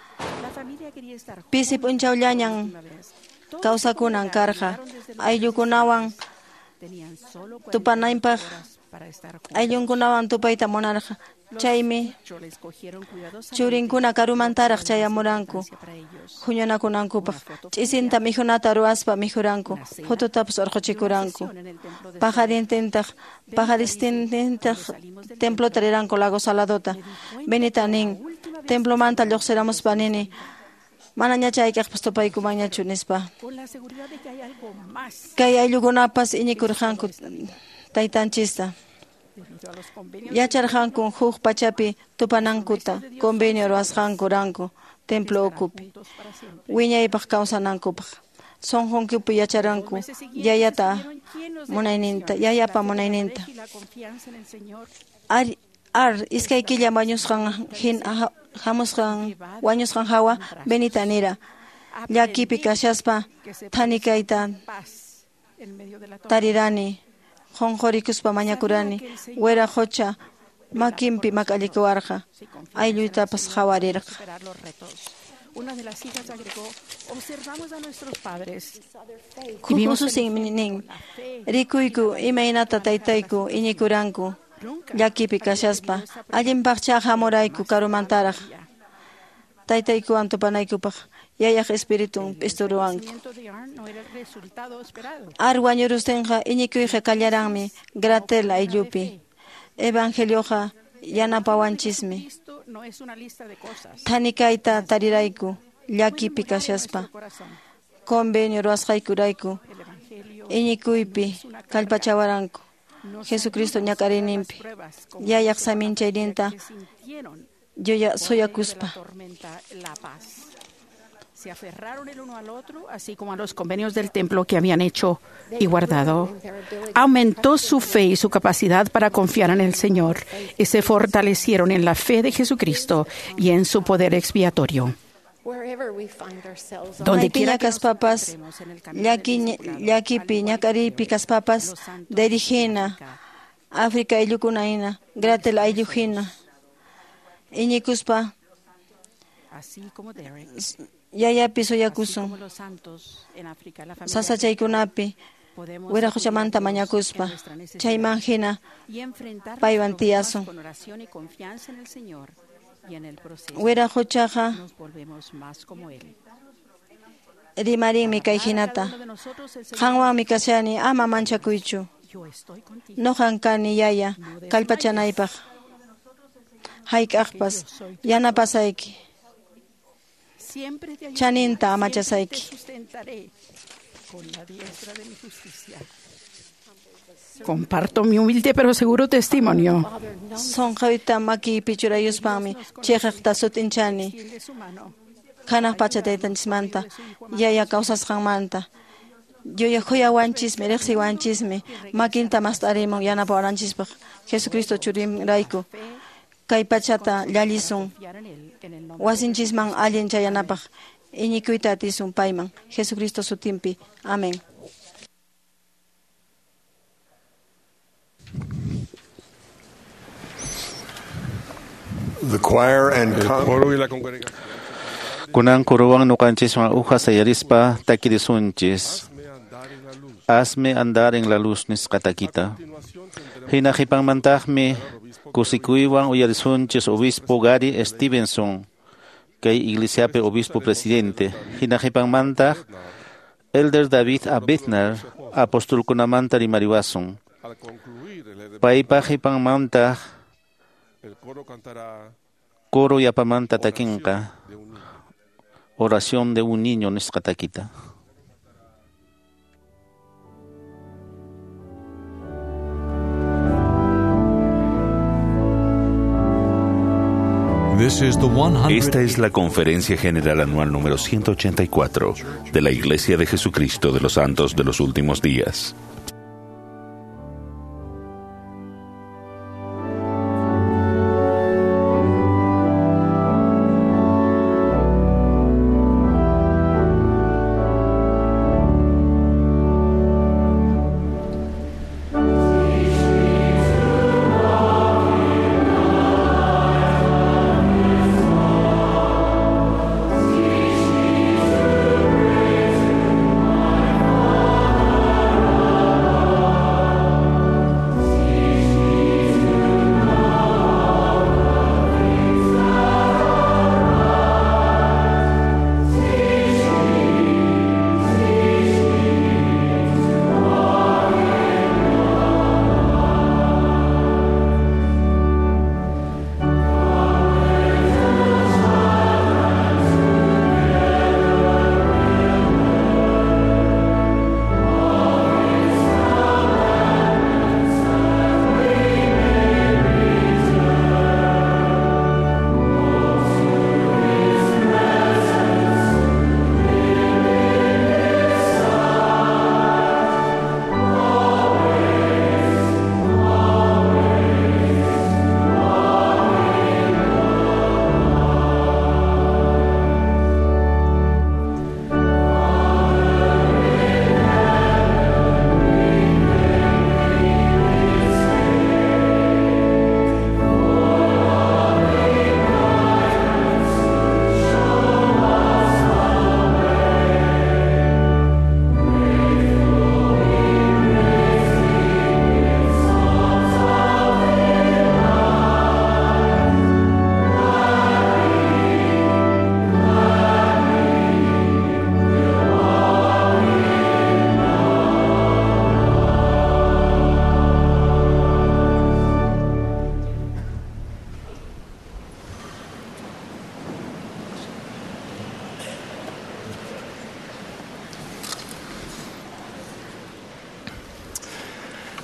pisi p'unchawllañan kawsakunan karqa. Ayllukunawan tupananpaq ayllunkunawan tupayta munarqa. Chaymi churinkuna karumantaraq chayamuranku huñunakunankupaq. Ch'isinta mikhunata ruwaspa mikhuranku, phututapas urquchikuranku. Paqarintintaq paqaristintintaq templota riranku Lago Saladota. Benita nin, templomanta lluqsiramuspa nini, manañacha hayk'aqpas tupaykumanñachu nispa. Kay ayllukunapas iñikurqanku taytanchista. Yacharqanku huk pachapi tupanankuta convenio ruwasqankuranku templo ukupi wiñaypaq kawsanankupaq. Sunqunkupi yacharanku yayata munayninta, yayapa munayninta. Ar, ar iskay killa wañusqan hin hamusqan wañusqan hawa Benita nira llakipi kashaspa thanikayta tarirani. Qunqurikuspa mañakurani, wira qucha makinpi mak'allikuwarqa, aylluytapas qhawarirqa. Huk ususin nin, rikuyku imaynata taytayku iñikuranku llakipi kashaspa, allinpaqcha hamurayku karumantaraq taytaykuwan tupanaykupaq. Yayaq espiritun p'isturuwanku. Ar wañurustinqa iñikuyqa kallaranmi Gratel ayllupi. Evangelioqa yanapawanchismi. Thanikayta tarirayku llakipi kashaspa. Convenio ruwasqaykurayku iñikuypi kallpachawaranku. Jesucristo ñak'ariyninpi yayaq saminchayninta yuya suyakuspa. Se aferraron el uno al otro, así como a los convenios del templo que habían hecho y guardado. Aumentó su fe y su capacidad para confiar en el Señor y se fortalecieron en la fe de Jesucristo y en su poder expiatorio. Donde quiera kaspapas, llakipi, ñak'ariypi kaspapas, dirigina, África ayllukuna hina, Gratel ayllu hina, iñikuspa, yayapi suyakusun, sasachaykunapi, wiraqochamanta mañakuspa, chayman hina paywan tiyasun. Wiraqochaqa rimarinmi kay hinata, qanwanmi kashani ama manchakuychu, noqan kani yaya kallpachanaypaq, hayk'aqpas yanapasayki. Chaninta amachasayki. Comparto mi humilde pero seguro testimonio. Sunqayta makiypi churayuspanmi chiqaqta sut'inchani. Hanaq pacha taytanchismanta, yaya kawsasqanmanta. Yuya khuyawanchismi, riqsiwanchismi, makinta mast'arimun yanapawananchispaq. Jesucristo churinrayku. Kay pachata llallisun, wasinchisman allin chayanapaq, Iñikuyta atisun payman Jesucristo sutinpi. Amén. The choir and El coro y la congregación. Kunan kuruwan nuqanchiswan uja sayarispa takirisunchis. Hazme andar en la luz nisqa takita. Hina qhipanmantaqmi kusikuywan uyarisunchis obispo Gary Stevenson, kay iglesiapi obispo presidente. Hina qhipanmantaq Elder David A. Bednar apostolkunamanta rimariwasun. Al concluir el Paypa qhipanmantaq El coro cantará coro yapamanta takinqa Oración de un niño nisqa takita. Esta es la Conferencia General Anual número ciento ochenta y cuatro de la Iglesia de Jesucristo de los Santos de los Últimos Días.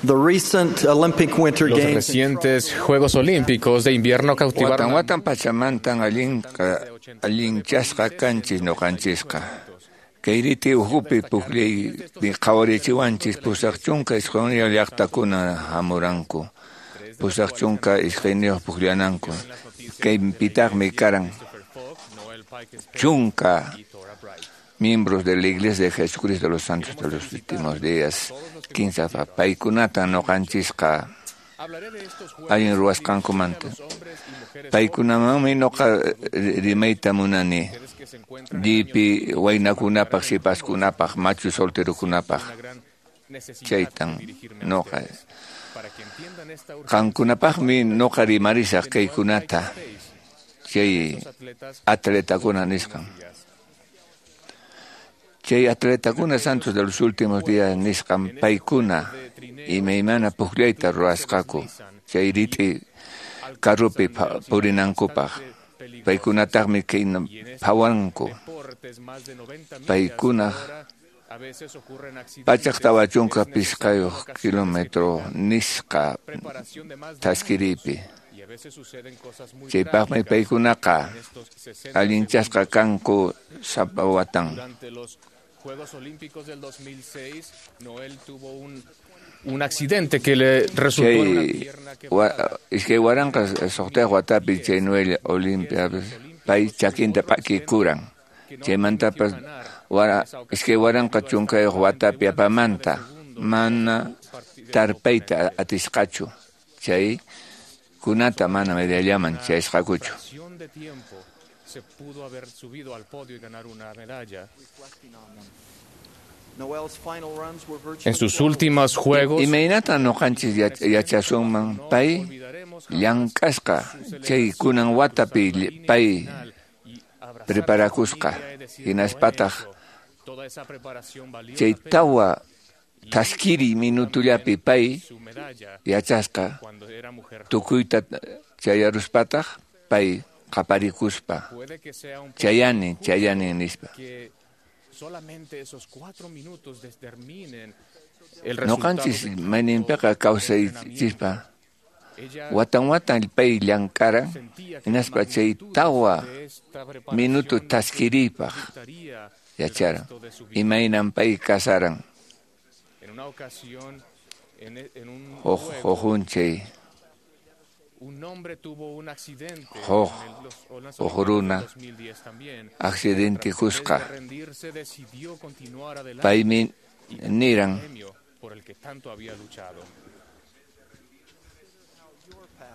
The recent Olympic Winter Los Games recientes Juegos Olímpicos de Invierno cautivaron Watan watan pachamantan allinqa allinchasqa kanchis ñuqanchisqa. Kayriti uhupi pukllaypi qhawarichiwanchis pusaq chunka isquniyuq llaqtakuna hamuranku. Pusaq chunka iskayniyuq pukllananku. Kaypitaqmi karan chunka miembros de la Iglesia de Jesucristo de los Santos de los Últimos Días, kinsa paykunata ñuqanchisqa allin ruwasqankumanta. Paykunamanmi ñuqa rimayta munani, llipi waynakunapaq, sipaskunapaq, machu solterokunapaq. Chaytan ñuqa. Qankunapaqmi ñuqa rimarisaq kaykunata, chay atletakuna nisqan. Chay atletakuna santos de los últimos días nisqan paykuna imaymana pukllayta ruwasqaku chay rit'i carrupi purinankupaq. Paykunataqmi kayna phawanku. Paykunaq pachak tawa chunka pichqayuq kilómetro nisqa thaskiripi. Chaypaqmi paykunaqa allinchasqa kanku sapa watan. Juegos Olímpicos del dos mil seis, Noel tuvo un, un accidente que le resultó en una pierna quebrada. Iskay waranqa suqtayuq watapi chay Noel Olimpia pay chakinta p'akikuran. Chaymantapas wara iskay waranqa chunkayuq watapi apamanta mana tarpayta atisqachu. Chay kunata mana medallaman chayasqakuchu. Se pudo haber subido al podio y ganar una medalla. En sus últimos juegos, imaynatan ñuqanchis yachasunman pay llank'asqa chay kunan watapi pay preparakusqa hinaspataq chay tawa taskiri minutullapi pay yachasqa tukuyta chayaruspataq pay qaparikuspa chayani chayani nispa. Solamente esos cuatro minutos determinen el resultado. Ñuqanchis mayninpiqa kawsaychispa watan watan pay llank'aran hinaspa chay tawa minuto taskiriypaq yacharan imaynan pay kasaran huk huk chay un hombre tuvo un accidente huk huk runa accidente kusqa paymi niran por el que tanto había luchado.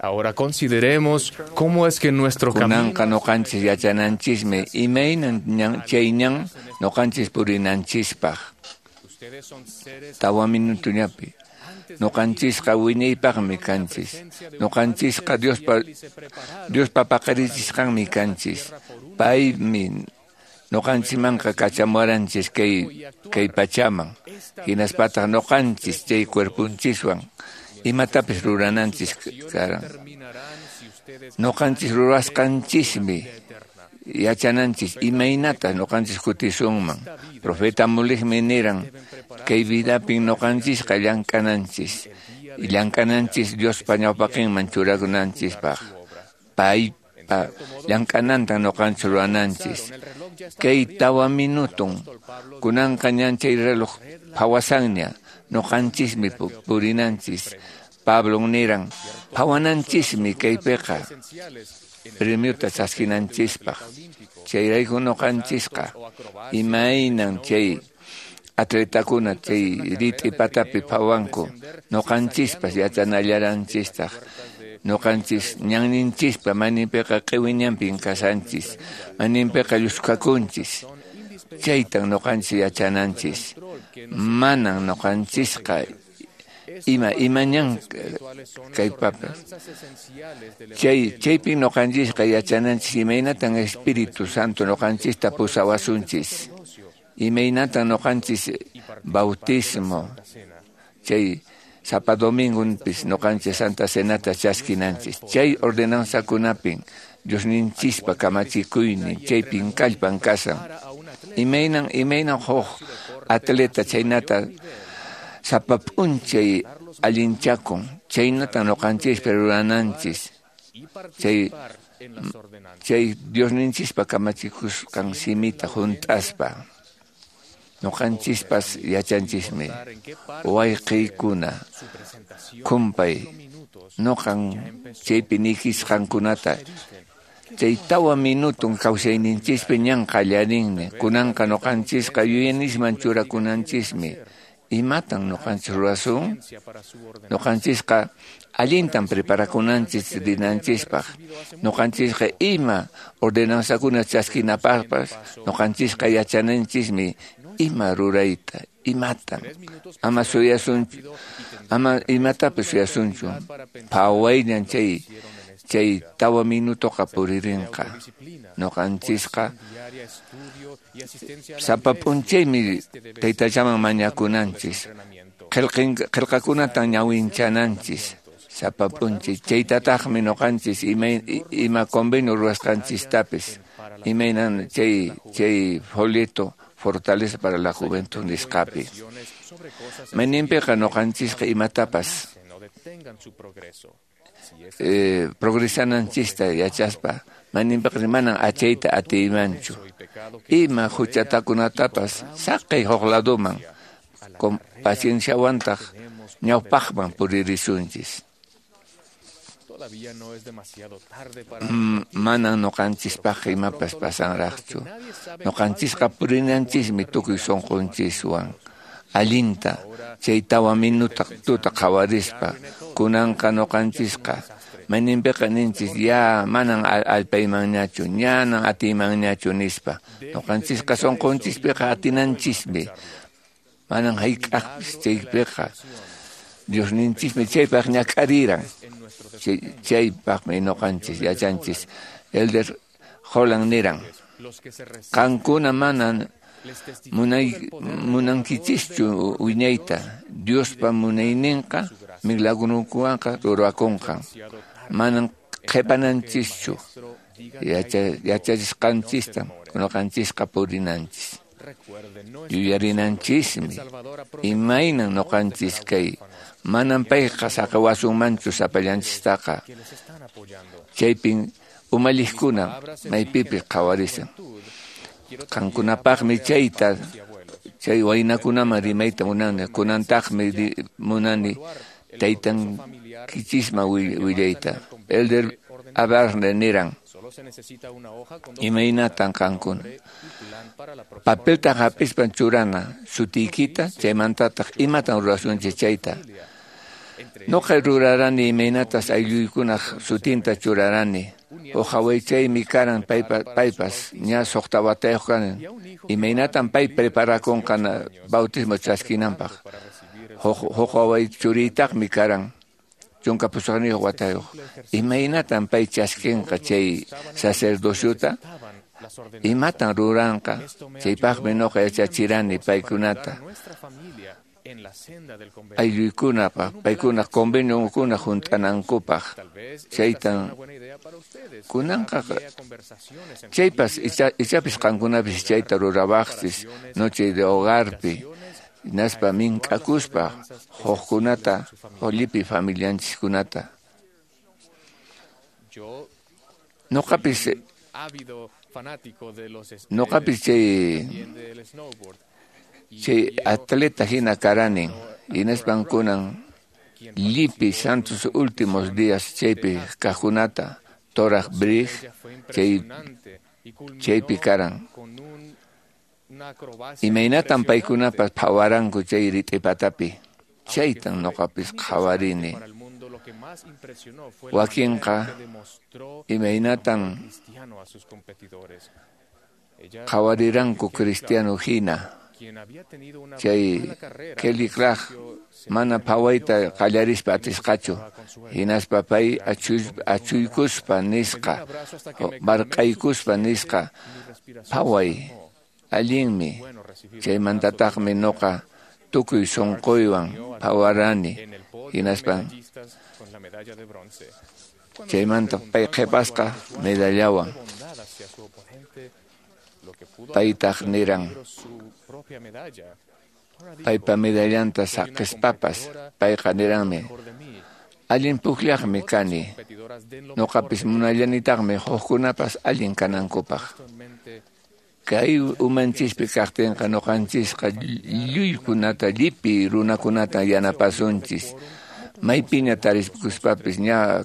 Ahora consideremos cómo es que nuestro camino kunanqa ñuqanchis yachananchismi imaynan ñan chay ñan ñuqanchis purinanchispaq tawa minutullapi ñuqanchisqa wiñaypaqmi kanchis ñuqanchisqa Diospa Diospa paqarichisqanmi kanchis paymi ñuqanchikmanqa kachamuwaranchis kay kay pachaman hinaspataq ñuqanchis chay cuerponchiswan imatapis rurananchis karan ñuqanchis rurasqanchismi yachananchis imaynata ñuqanchis kutisunman profeta Mulikmi niran kay vidapin ñuqanchisqa llank'ananchis llank'ananchis Diospa ñawpaqinman churakunanchispaq paypa llank'anantan ñuqanchis rurananchis kay tawa minutun kunanqa ñan chay reloj phawasanña ñuqanchismi purinanchis Pablon niran phawananchismi kaypiqa premiota chaskinanchispaq chayrayku ñuqanchisqa imaynan chay atletakuna chay rit'i patapi phawanku ñuqanchispas yachanallaranchistaq ñuqanchis ñanninchispa mayninpiqa q'iwi ñanpin kasanchis mayninpiqa lluskakunchis chaytan ñuqanchis yachananchis manan ñuqanchisqa ima ima ñan kaypapas chay chaypi ñuqanchisqa yachananchis imaynatan Espíritu Santo ñuqanchista pusawasunchis imaynatan ñuqanchis bautismo chay sapa domingunpis ñuqanchis Santa Cenata chaskinanchis chay ordenanzakunapin Diosninchispa kamachikuynin chaypin kallpan kasan imaynan imaynan huk atleta chaynata sapa p'unchay allinchakun chaynatan ñuqanchispa rurananchis chay chay Diosninchispa kamachikusqan simita hunt'aspa ñuqanchispas yachanchismi wayqiykuna kumpay ñuqan chaypi nikisqankunata chay tawa minutun kawsayninchispi ñan qallarinmi kunanqa ñuqanchisqa yuyanisman churakunanchismi imatan ñuqanchis rurasun ñuqanchisqa allintan preparakunanchis rinanchispaq ñuqanchisqa ima ordenanzakuna chaskinapaqpas ñuqanchisqa yachananchismi ima rurayta imatan ama suyasunchu ama imatapas suyasunchu phawayñan chay chay tawa minutoqa puririnqa ñuqanchisqa sapa p'unchaymi taytachaman mañakunanchis qillqakunatan ñawinchananchis sapa p'unchay chaytataqmi ñuqanchis ima ima convenio ruwasqanchistapis imaynan chay chay folleto Fortaleza para la Juventud nisqapi mayninpiqa ñuqanchisqa imatapas eh, progresananchista yachaspa mayninpiqa manan achayta atiymanchu ima huchatakunatapas saqay huk laduman con pacienciawantaq ñawpaqman puririsunchis. Manan noqanchispaq imapas pasanraqchu. Noqanchisqa purinanchismi tukuy sunqunchiswan allinta chay tawa minuta tuta qhawarispa. Kunanqa noqanchisqa mayninpiqa ninchis ya manan allpaymanñachu, ñanan atiymanñachu nispa. Noqanchisqa sunqunchispiqa atinanchismi. Manan hayk'aqpis chaypiqa Diosninchismi chaypaq ñak'ariran. Chaypaqmi noqanchis yachanchis. Elder Holland niran, qankuna manan munay munankichischu wiñayta, Diospa munayninqa milagrukuwanqa rurakunqa. Manan qhipananchischu, yachachisqanchista noqanchisqa purinanchis. Yuyarinanchismi imaynan noqanchis kay manan payqa saqiwasunmanchu sapallanchistaqa. Chaypin umalliqkuna maypipis qhawarisan. Qankunapaqmi chayta chay waynakunaman rimayta munani, kunantaqmi munani taytankichisman willayta. Elder Abarne niran, imaynatan qankuna papelta hapispan churana sutiykita, chaymantataq imatan rurasunchis chayta. Noqa rurarani imaynatas aylluykunaq sutinta churarani. Uqawaychaymi karan paypa, paypas ña suqta watayuq karan. Imaynatan pay preparakunqa bautismo chaskinanpaq. Huk waway churiytaqmi karan chunka pusaqniyuq watayuq. Imaynatan pay chaskinqa chay sacerdociota? Imatan ruranqa? Chaypaqmi noqa yachachirani paykunata. Aylluykunapaq, paykuna conveniokuna hunt'anankupaq. Chaytan kunanqa chaypas ichapis qankunapis chayta rurawaqchis noche de hogarpi, hinaspa mink'akuspa hukkunata llipi familianchiskunata. Noqapis noqapis chay chay atleta hina karanin, hinaspan kunan llipi santos últimos días chaypi kaqkunata toraq brig chay chaypi karan. Imaynatan paykunapas phawaranku chay rit'ipatapi. Chaytan noqapis qhawarini. Wakinqa imaynatan qhawariranku cristiano hina. Chay Kelly Clark mana phawayta qallarispa atisqachu. Hinaspa pay achuykuspa nisqa, barqaykuspa nisqa, phaway allinmi. Chaymantataqmi noqa tukuy sunquywan phawarani. Hinaspa chaymanta pay qhipasqa medallawan. Paytaq niran paypa medallanta saqispapas payqa niranmi allin pukllaqmi kani, noqapis munallanitaqmi hukkunapas allin kanankupaq. Kay umanchispi kaqtinqa noqanchisqa lluykunata llipi runakunata yanapasunchis. Maypiña tariskuspapis ña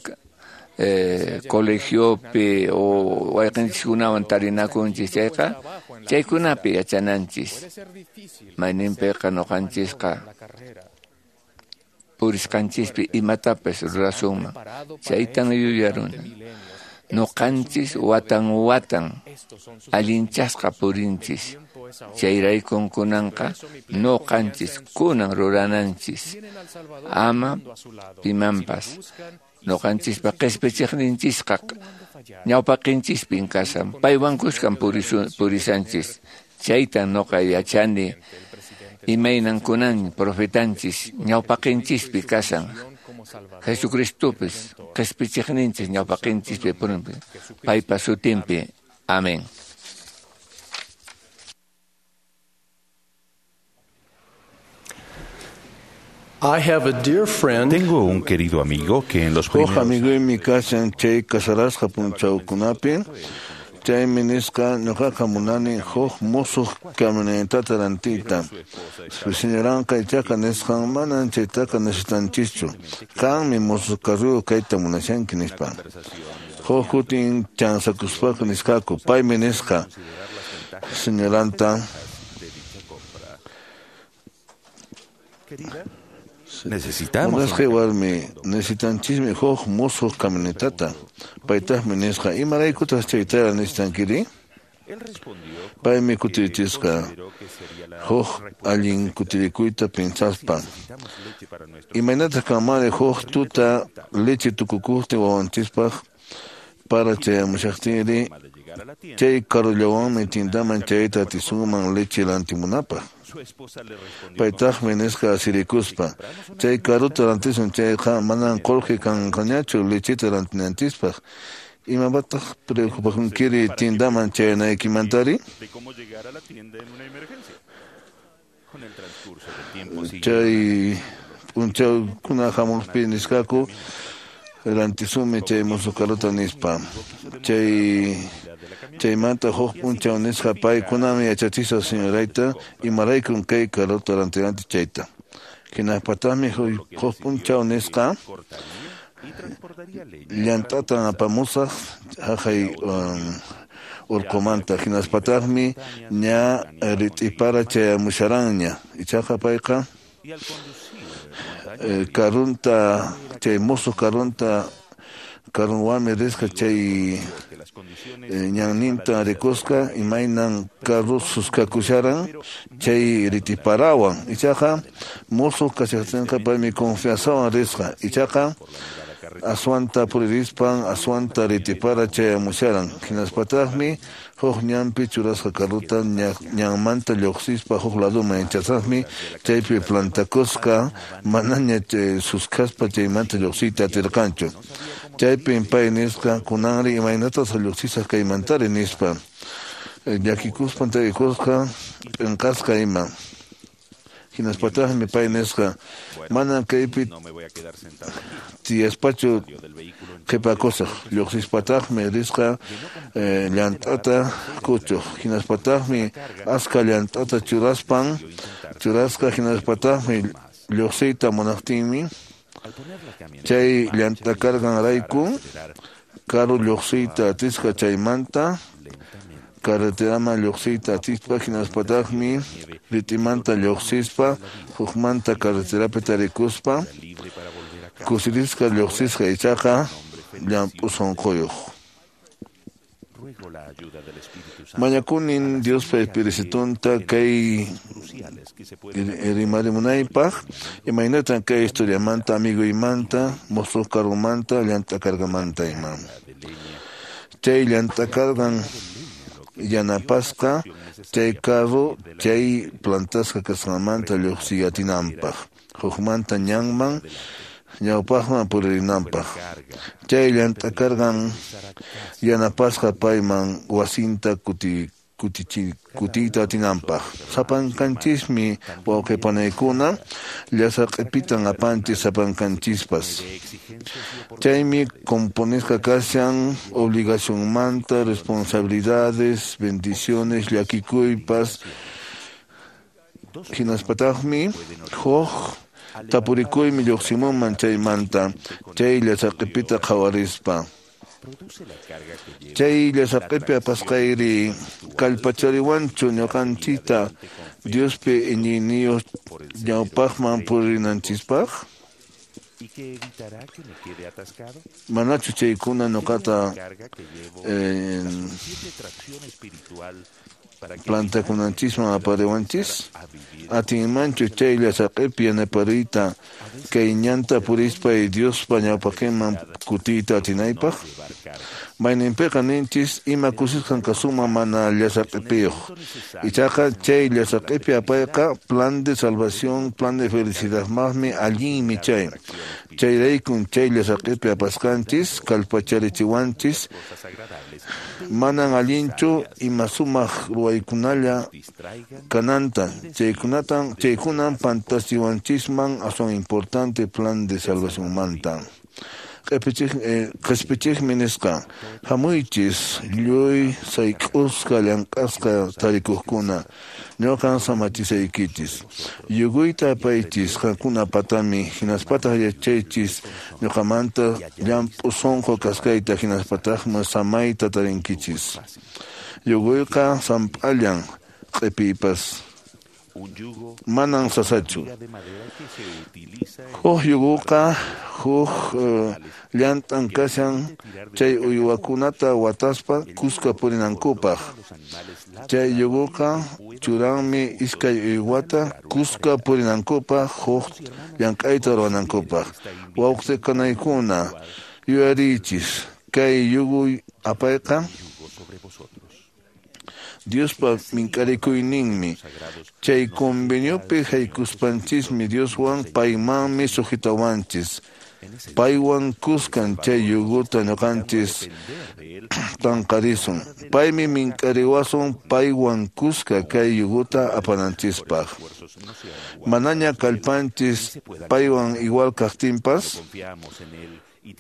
Eh, colegiopi o wayqinchiskunawan tarinakunchis chayqa chaykunapi yachananchis. Mayninpiqa noqanchisqa purisqanchispi imatapas rurasunman. Chaytan yuyaruna. Noqanchis watan watan allinchasqa purinchis. Chayraykun kunanqa noqanchis kunan rurananchis. Ama pimanpas. Noqanchispa qhispichiqninchisqa ñawpaqinchispin kasan, paywan kuskan purisanchis. Chaytan noqa yachani imaynan kunan profetanchis ñawpaqinchispi kasan. Jesucristopis qhispichiqninchis ñawpaqinchispi purinpi, paypa sutinpi. Amén. Tengo un querido amigo que en los Huk primeros amiguymi kashan chay kasarasqa punchawkunapi, Chaymi nisqa ñuqaqa munani huk musuq camionetata rantiyta. Señoranqa ichaqa nisqan manan chaytaqa necesitanchischu. Qanmi musuq carruyuq kayta munashanki nispa. Huk kutin chansakuspaqa nisqaku paymi nisqa señoranta. Necesitamos. Munasqay warmi necesitanchismi huk musuq camionetata. Paytaqmi nisqa imaraykutaq chaytara necesitankiri? Paymi kutirichisqa huk allin kutirikuyta pinsaspa. Imaynataq kanmanri huk tuta leche tukukuqtin wawanchispaq para chayamushaqtinri chay carrullawanmi tindaman chayta atisunman leche rantimunapaq. Paytaqmi nisqa asirikuspa chay carruta rantisun chayqa manan qullqi kanqañachu lecheta rantinanchispaq. Imapataq preocupakunkiri tindaman chayanaykimantari? Chay p'unchawkuna hamuqpi nisqaku rantisunmi chay musuq carruta nispa. Chay chaymanta huk p'unchaw nisqa paykunami yachachisqa señorayta imaraykun kay carruta rantinanchis chayta. Hinapataqmi huk p'unchaw nisqa llant'atan apamusaq haqay urqumanta hinaspataqmi ña rit'ipara chayamusharanña ichaqa payqa karunta chay musuq karunta karunwanmi risqa chay ñanninta rikusqa imaynan carru suskakusharan chay rit'iparawan ichaqa musuq kashaqtinqa paymi confianzawan risqa ichaqa aswanta puririspan aswanta rit'ipara chayamusharan hinaspataqmi huk ñanpi churasqa carruta ñanmanta lluqsispa huk laduman yachasaqmi chaypi plantakusqa manaña suskaspa chaymanta lluqsiyta atirqanchu. Chaypin pay nisqa kunanri imaynatas lluqsisaq kaymantari nispa llakikuspan tarikusqa p'inqasqa ima. Hinaspataqmi pay nisqa manan kaypi tiyaspachu qhipakusaq lluqsispataqmi risqa llant'ata kuchuq hinaspataqmi aska llant'ata churaspan churasqa hinaspataqmi lluqsiyta munaqtinmi chay llant'a karqanrayku karu lluqsiyta atisqa chaymanta carreteraman lluqsiyta atispa hinaspataqmi rit'imanta lluqsispa hukmanta carreterapi tarikuspa kusirisqa lluqsisqa ichaqa llamp'u sunquyuq. Mañakunin Diospa Espiritunta kay rimarimunaypaq imaynatan kay historiamanta amiguymanta musuq karrumanta llant'a karqamanta ima. Chay llant'a karqan yanapasqa chay carro chay plantasqa kasqanmanta lluqsiy atinanpaq hukmanta ñanman ñawpaqman puririnanpaq. Chay llant'a karqan yanapasqa payman wasinta kuti kutichi kutiyta atinanpaq. Sapankanchismi wawqipanaykuna llasa q'ipitan apanchis sapankanchispas. Chaymi componisqa kashan obligacionmanta, responsabilidades, bendiciones, llakikuypas. Hinaspataqmi huk tapurikuymi lluqsimunman chaymanta chay llasa q'ipita qhawarispa. Chay llasa q'ipi apasqayri kallpachariwanchu ñuqanchikta Diospi iñiyniyuq ñawpaqman purinanchispaq? Manachu chaykuna ñuqata plantakunanchisman apariwanchis? Atinmanchu chay llasa q'ipi yanapariyta kay ñanta purispay Diospa ñawpaqinman kutiyta atinaypaq? Mayninpiqa ninchis ima kusisqan kasunman mana llasa q'ipiyuq. Ichaqa chay llasa q'ipi apayqa plan de salvación, plan de felicidadmaqmi allinmi chay. Chayraykun chay llasa q'ipi apasqanchis kallpacharichiwanchis manan allinchu ima sumaq ruwaykunalla kananta chaykunatan chaykunan pantachiwanchisman aswan importante plan de salvacionmanta. Qhispichiqmi nisqa, hamuychis lluy sayk'usqa llank'asqa tarikuqkuna, ñuqan samachisaykichis. Yuguyta apaychis qankuna patami, hinaspataq yachaychis ñuqamanta llamp'u sunqu kasqayta, hinaspataqmi samayta tarinkichis. Yuguyqa samp'allan q'ipiypas manan sasachu. Huk yuguqa huk llant'an kashan chay uywakunata wataspa kuska purinankupaq. Chay yuguqa churanmi iskay uywata kuska purinankupaq huk llank'ayta ruwanankupaq. Wawqikanaykuna yuyariychis kay yugu apayqa Diospa mink'arikuyninmi. Chay conveniopi haykuspanchismi Dioswan paymanmi sujetawanchis. Paywan kuskan chay yuguta ñuqanchis tanqarisun. Paymi mink'ariwasun paywan kuska kay yuguta apananchispaq. Manaña kallpanchis paywan igual kaqtinpas,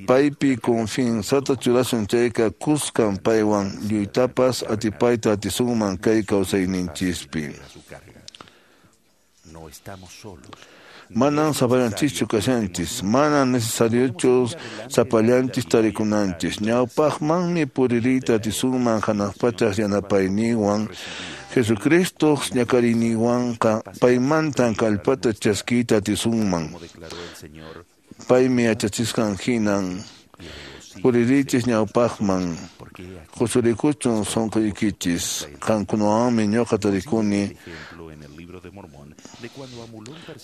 paypi confianzata churasun chayqa kuskan paywan lluytapas atipayta atisunman kay kawsayninchispi. Manan sapallanchischu kashanchis, manan necesariochu sapallanchis tarikunanchis. Ñawpaqmanmi puririyta atisunman hanaq pachaq yanapayninwan Jesucristo ñakariyninwanqa paymantan kallpata chaskiyta atisunman. Paymi yachachisqan hinan puririchis ñawpaqman, qusurikuchun sunquykichis, qankunawanmi ñuqa tarikuni.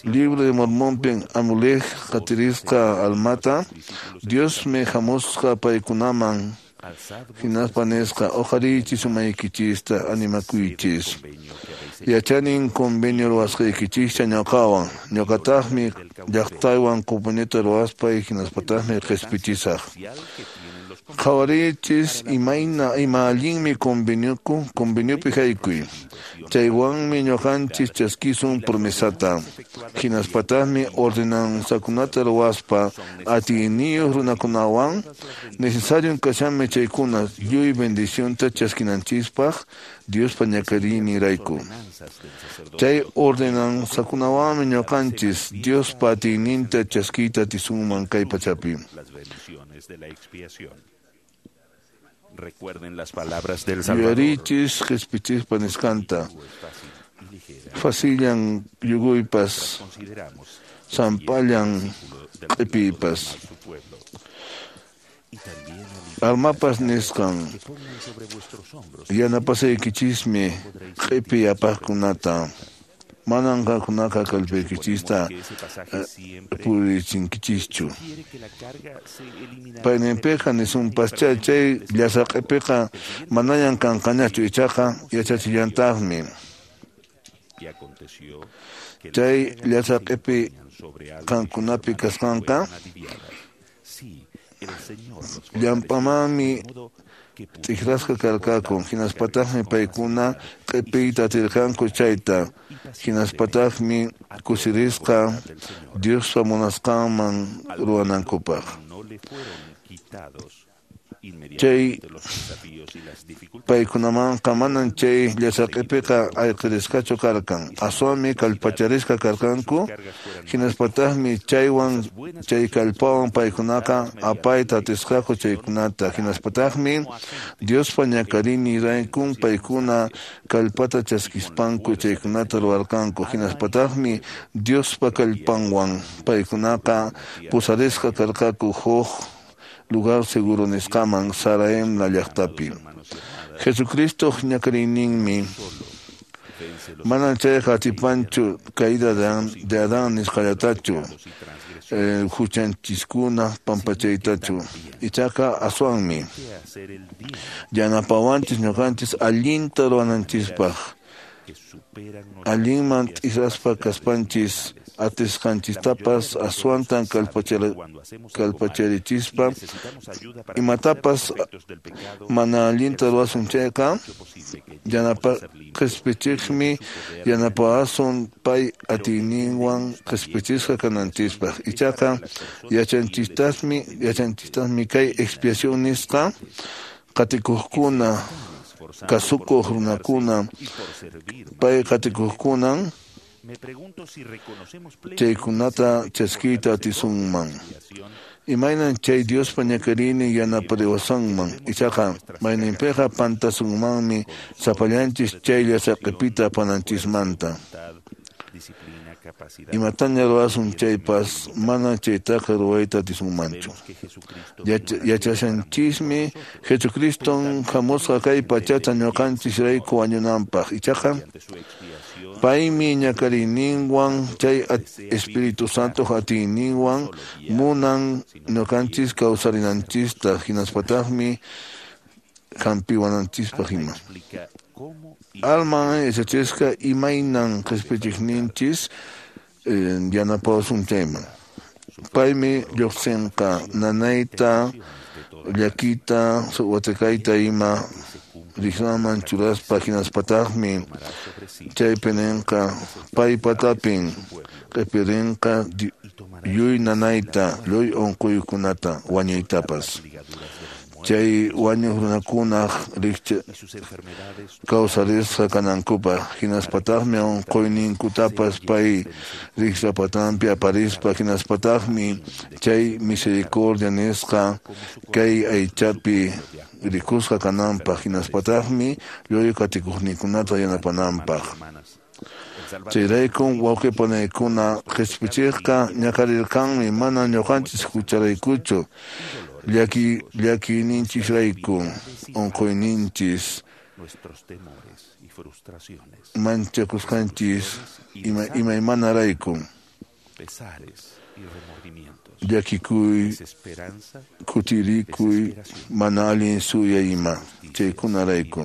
Libro de Mormonpin Amulek qatirisqa almata, Diosmi hamusqa paykunaman hinaspa nisqa uqariychis umaykichista animakuychis. Yachanin convenio ruwasqaykichista ñuqawan, ñuqataqmi llaqtaywan conveniota ruwaspay hinaspataqmi qispichisaq. Qhawariychis imayna ima allinmi convenioku conveniopi haykuy. Chaywanmi ñuqanchis chaskisun promesata. Hinaspataqmi ordenanzakunata ruwaspa atiyniyuq runakunawan necesarion kashanmi chaykuna lluy bendicionta chaskinanchispaq Diospa ñakariyninrayku. Chay ordenanzakunawanmi ñuqanchis Diospa atiyninta chaskiyta atisunman kay pachapi. Recuerden las palabras del Salvador. Yuyarichis qispichispa nisqanta. Facillan yuguypas, sampallan q'ipiypas. Almapas nisqan yanapasaykichismi q'ipiy apaqkunata. Manan qankunaqa kallpaykichista purichinkichischu. Payninpiqa nisunpaschá chay llasa q'ipiqa manañan kanqañachu, ichaqa yachachillantaqmi. Chay llasa q'ipi qankunapi kasqanqa llampamanmi t'ikrasqa karqaku, hinaspataqmi paykuna q'ipiyta atirqanku chayta, hinaspataqmi kusirisqa Diospa munasqanman ruwanankupaq. Chay paykunamanqa manan chay llasa q'ipiqa ayqirisqachu karqan, aswanmi kallpacharisqa karqanku, hinaspataqmi chaywan chay kallpawan paykunaqa apayta atisqaku chaykunata, hinaspataqmi Diospa ñakariyninraykun paykuna kallpata chaskispanku chaykunata ruwarqanku, hinaspataqmi Diospa kallpanwan paykunaqa pusarisqa karqaku huk lugar seguro nisqaman Saraemla llaqtapi. Jesucristo ñakariyninmi manan chayqa atipanchu caída de Adán nisqallatachu, huchanchiskuna pampachaytachu, ichaqa aswanmi yanapawanchis ñuqanchis allinta ruwananchispaq, allinman t'ikraspa kaspanchis Atisqanchistapas aswantan kallpacharichispa imatapas mana allinta ruwasun chayqa yanapa qispichiqmi yanapawasun pay atiyninwan qispichisqa kananchispaq. Ichaqa yachanchistaqmi yachanchistaqmi kay expiación nisqa qatikuqkuna kasukuq runakuna pay qatikuqkunan chaykunata chaskiyta atisunman. Imaynan chay Diospa ñakariynin yanapariwasunman. Ichaqa mayninpiqa pantasunmanmi sapallanchis chaylla saqipita apananchismanta. Imataña ruwasun chaypas mana chaytaqa ruwayta atisunmanchu. Yachashanchismi Jesucriston hamusqa kay pachata ñuqanchisrayku wañunanpaq. Ichaqa paymi ñakariyninwan chay Espíritu Santo atiyninwan munan ñuqanchis kawsarinanchista hinaspataqmi hampiwananchispaq ima. Alman yachachisqa imaynan qispichiqninchis yanapawasun chayman. Paymi lluqsinqa nanayta, llakita, watakayta ima riqraman churaspa hinaspataqmi chaypi ninqa paypatapin qipirinqa lluy nanayta, lluy unquykunata, wañuytapas. Chay wañuq runakunaq rikcha kawsarisqa kanankupaq hinaspataqmi unquyninkutapas pay riqrapatanpi aparispa hinaspataqmi chay misericordia nisqa kay aychapi rikusqa kananpaq hinaspataqmi lluy qatikuqninkunata yanapananpaq. Chayraykum wawqi panaykuna qispichiqqa ñakarirqanmi mana ñuqanchis hucharaykuchu llaki llakiyninchisrayku unquyninchis manchakusqanchis ima imaymanarayku llakikuy kutirikuy mana allin suyay ima chaykunarayku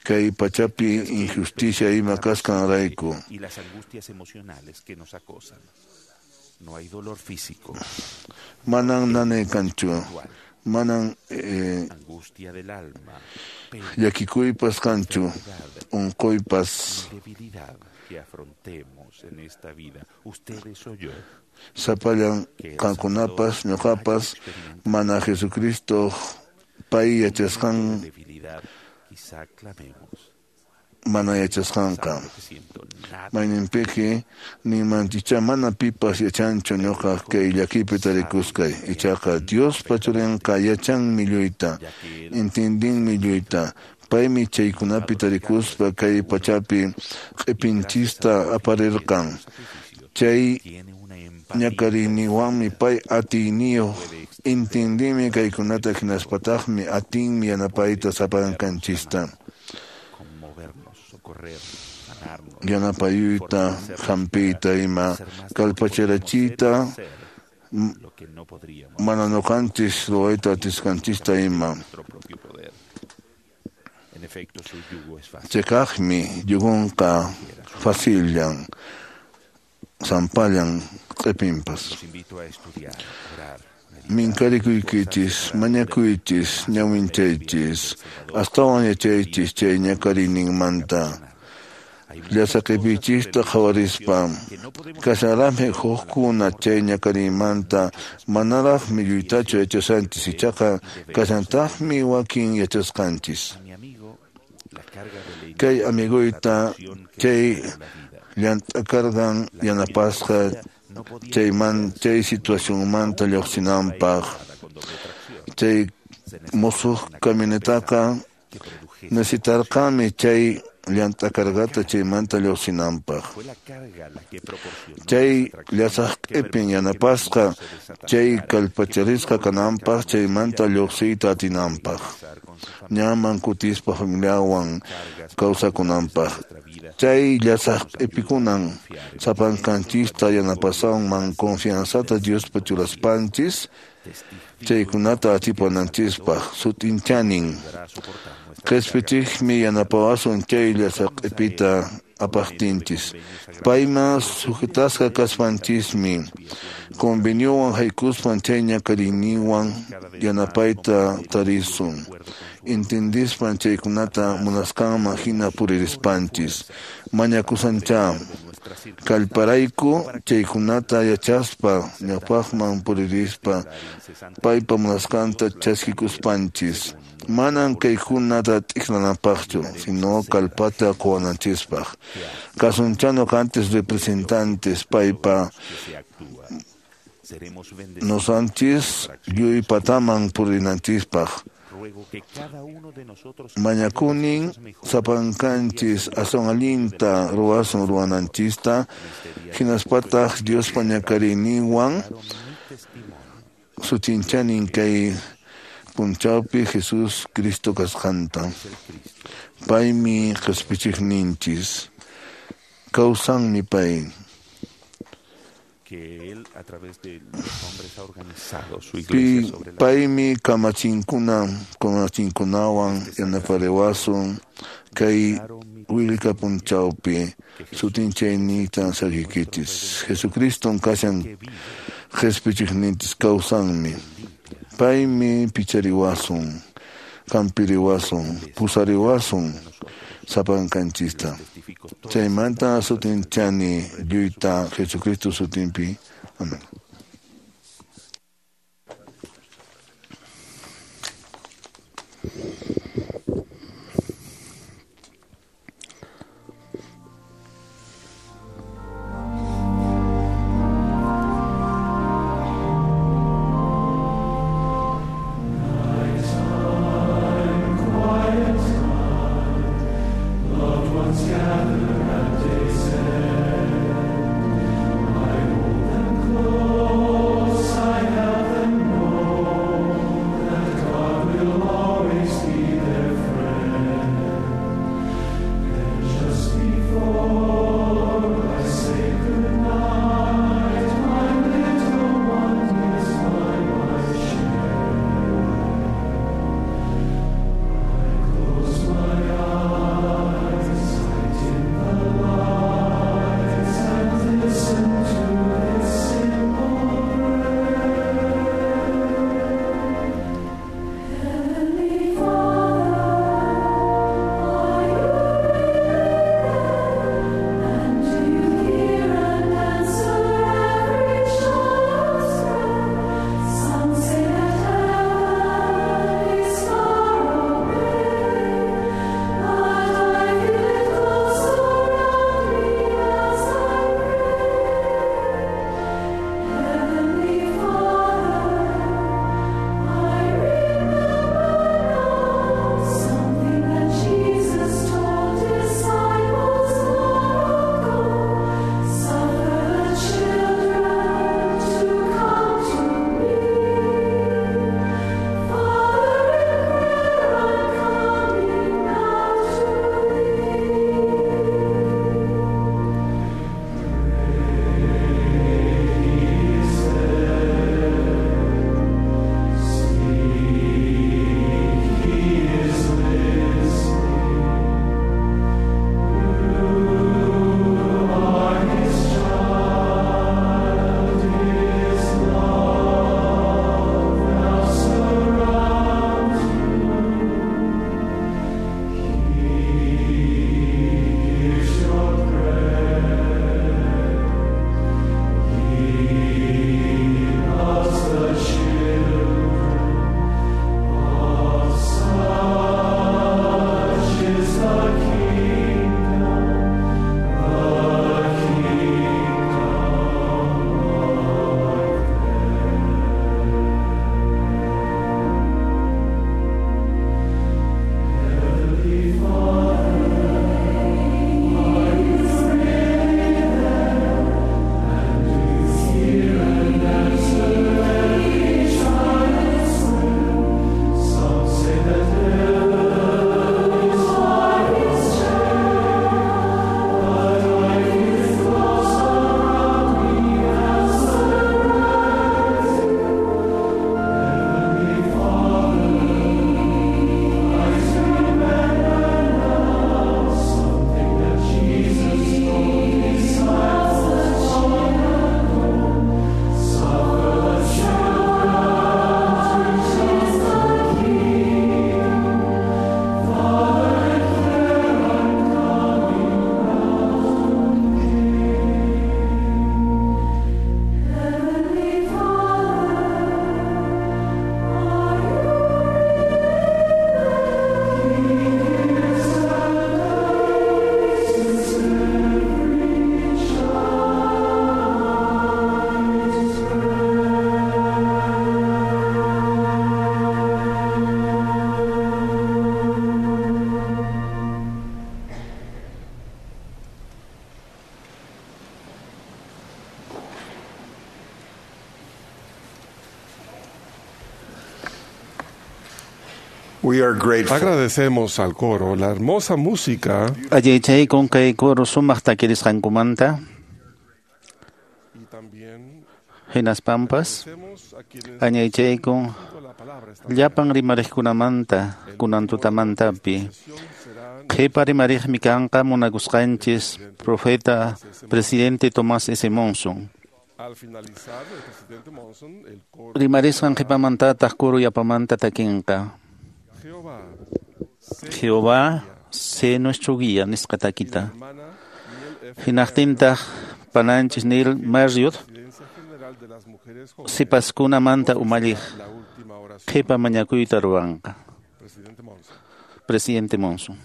kay pachapi injusticia ima kasqanrayku. Manan nanay kanchu, manan eh, llakikuypas kanchu, unquypas. Sapallan qankunapas ñuqapas mana Jesucristo pay yachasqan mana yachasqanqa. Mayninpiqa ninmanchicha mana pipas yachanchu ñuqa kay llakipi tarikusqay. Ichaqa Diospa churinqa yachanmi lluyta, intindinmi lluyta. Paymi chaykunapi tarikuspa kay pachapi q'ipinchista aparirqan. Chay ñakariyninwanmi pay atiyniyuq intindinmi kaykunata hinaspataqmi atinmi yanapayta sapankanchista. Yanapayuyta, hampiyta ima, kallpacharachiyta, mana ñuqanchis ruwayta atisqanchista ima. Chikaqmi yugunqa facillan, sampallan q'ipinpas. Minkarikuykichis, mañakuychis, ñawinchaychis, astawan yachaychis chay ñakariyninmanta. Llasaqipiychista qhawarispa, kasharaqmi hukkuna chay ñakariymanta manaraqmi lluytachu yachashanchis, ichaqa kashantaqmi wakin yachasqanchis. Kay amiguyta chay llant'akarqan yanapasqa chayman chay situacionmanta lluqsinanpaq. Chay musuq camionetaqa necesitarqanmi chay llant'akarqata chaymanta lluqsinanpaq. Chay llasaq q'ipin yanapasqa chay kallpacharisqa kananpaq chaymanta lluqsiyta atinanpaq. Ñaman kutispa familiawan kawsakunanpaq. Chay llasaq q'ipikunan sapankanchista yanapasanman confianzata Diospa churaspanchis chaykunata atipananchispaq sut'inchanin. Qispichiqmi yanapawasun chay llasaq q'ipita apaqtinchis. Payman sujetasqa kaspanchismi conveniowan haykuspan chay ñakariyninwan yanapayta tarisun. Entendispan chaykunata munasqanman hina puririspanchis. Mañakusancha kallparayku chaykunata yachaspa ñawpaqman puririspa paypa munasqanta chaskikuspanchis. Manan kaykunata t'ikranapaqchu, sino kallpata quwananchispaq. Kasunchano antes representantes paypa nosanchis lluypataman purinanchispaq. Mañakunin sapankanchis aswan allinta ruwasun ruwananchista, hinaspataq Diospa ñakariyninwan sutinchanin kay punchawpi Jesus Cristo kasqanta. Paymi qhispichiqninchis. Kawsanmi pay. Que él a través de los hombres ha organizado su Pi, iglesia sobre la paymi kamachinkuna kamachinkunawan yanapariwasun kay willka punchawpi sutinchayniyta saqikichis. Jesucriston kashan qhispichiqninchis kawsanmi. Paymi pichariwasun, kampiriwasun, pusariwasun sapankanchista. Chaymanta sutinchani lluyta Jesucristo sutinpi. Amén. Loved ones gather at day's end. I hold them close. We are grateful. Agradecemos al coro la hermosa música. Allaychaykun kay coro sumaq takirisqankumanta. Hinaspampas añaychaykun llapan rimariqkunamanta kunan tutamantapi. Qhipa rimariqmi kanqa munakusqanchis profeta presidente Tomás S. Monson. Rimarisqan qhipamantataq coro yapamanta takinqa. Jehová, sé nuestro guía nisqa takita. Hinaqtintaq pananchis Neil Marriott sipaskunamanta umalliq qhipa mañakuyta ruwanqa. Presidente Monson.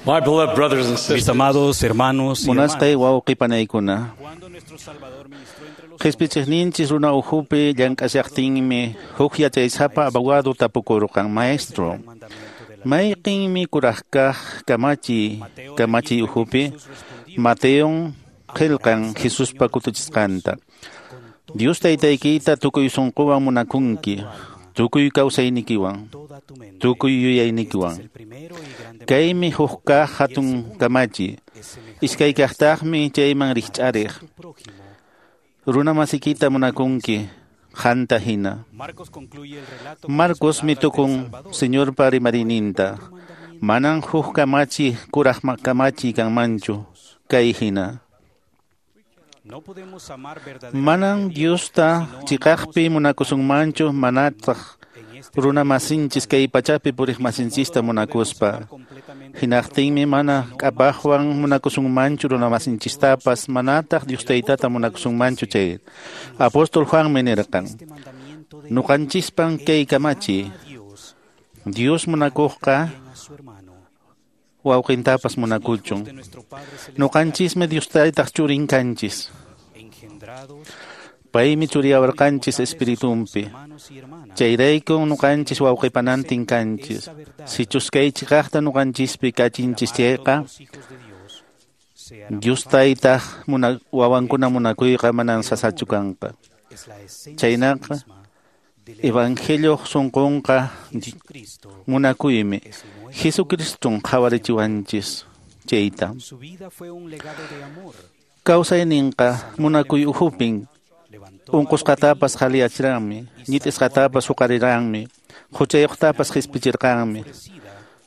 My beloved brothers and sisters, Mis amados hermanos y Munasqay hermanas, wawqi panaykuna. Qhispichiqninchis runa ukhupi llank'ashaqtinmi huk yachaysapa abogado tapukurqan maestro. Mayqinmi kuraqkaq kamachi kamachi ukhupi Mateon qillqan Jesuspa kutichisqanta. Dios taytaykita tukuy sunquwan munakunki, tukuy kawsaynikiwan, tukuy yuyaynikiwan. Kaymi huk kaq hatun kamachi, iskay kaqtaqmi chayman rikch'ariq. Runa masikita munakunki, qanta hina. Marcos mitukun Señorpa rimarininta. Manan huk kamachi kuraq kamachi kanmanchu, kay hina. Manan Diosta chiqaqpi munakusunmanchu manataq runa masinchis kay pachapi puriq masinchista munakuspa. Hinaqtinmi mana k'apaqwan munakusunmanchu runa masinchistapas manataq Dios taytata munakusunmanchu chay. Apóstol Juanmi nirqan, nuqanchispan kay kamachi, Dios munakuqqa wawqintapas munakuchun. Nuqanchismi Dios taytaq churin kanchis. Paymi churiyawarqanchis espiritunpi. Chayraykun nuqanchis wawqipanantin kanchis. Sichus kay chiqaqta nuqanchispi kachinchis chayqa, Dios taytaq muna, wawankuna munakuyqa manan sasachu kanqa. Chaynaqa Evangelio sunqunqa munakuymi. Jesucriston qhawarichiwanchis chayta. Kawsayninqa munakuy ukhupin unqusqatapas qhaliyachiranmi, ñit'isqatapas huqariranmi, huchayuqtapas qispichirqanmi.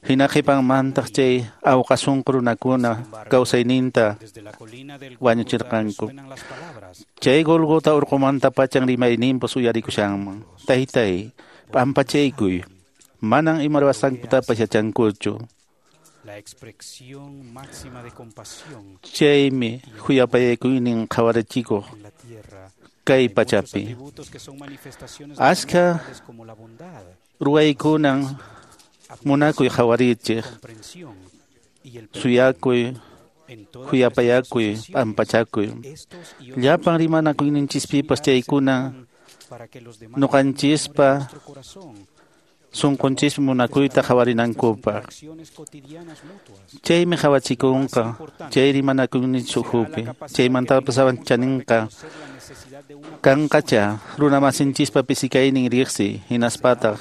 Hina qhipanmantaq chay awqa sunqu runakuna kawsayninta wañuchirqanku. Chay Golgota urqumanta pachan rimayninpas uyarikushanman. Taytay, p'ampachaykuy, manan ima ruwasqankutapas yachankuchu. Chaymi khuyapayakuynin qhawarichikuq kay pachapi. Ashka ruwaykunan munakuy qhawarichiq, suyakuy, khuyapayakuy, p'ampachakuy. Llapan rimanakuyninchispipas chaykuna nuqanchispa sunqunchispi munakuyta qhawarinankupaq. Chaymi qhawachikunqa chay rimanakuyninchis ukhupi. Chaymantapas chaninqa kanqacha runa masinchispa pisikaynin riqsi hinaspataq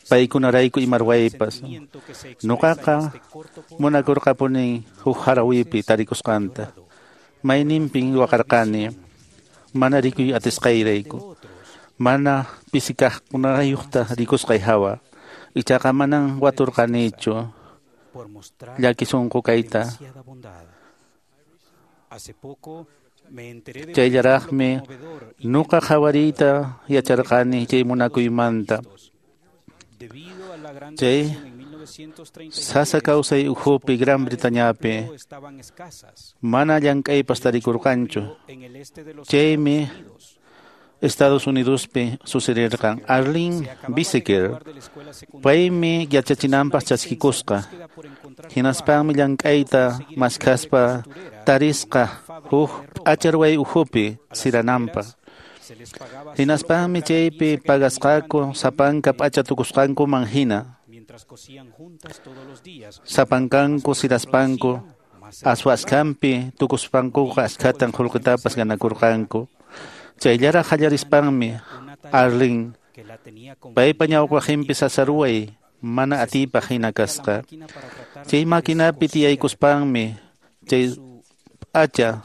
paykunarayku ima ruwaypas. Nuqaqa munakurqapunin huk harawipi tarikusqanta. Mayninpin waqarqani mana rikuy atisqayrayku. Mana pisikaqkunayuqta rikusqay hawa. Ichaqa manan waturqanichu llaki sunqu kayta. Chayllaraqmi nuqa qhawariyta yacharqani chay munakuymanta. Chay sasa kawsay ukhupi Gran Bretañapi mana llank'aypas tarikurqanchu. Chaymi Estados Unidospi sucederqan Arlene Biseker. Paymi yachachinanpaq chaskikusqa. Hinaspanmi llank'ayta maskhaspa tarisqa huk p'acharway ukhupi sirananpaq. Hinaspanmi chaypi pagasqaku sapanka p'acha tukusqankuman hina. Sapankanku siraspanku Aswa askanpi tukuspankuqa askhatan qullqitapas ganakurqanku. Chayllaraq qallarispanmi Arlene paypa ñawpaqinpi sasaruway mana atiypaq hina kasqa. Chay maquinapi tiyaykuspanmi chay p'acha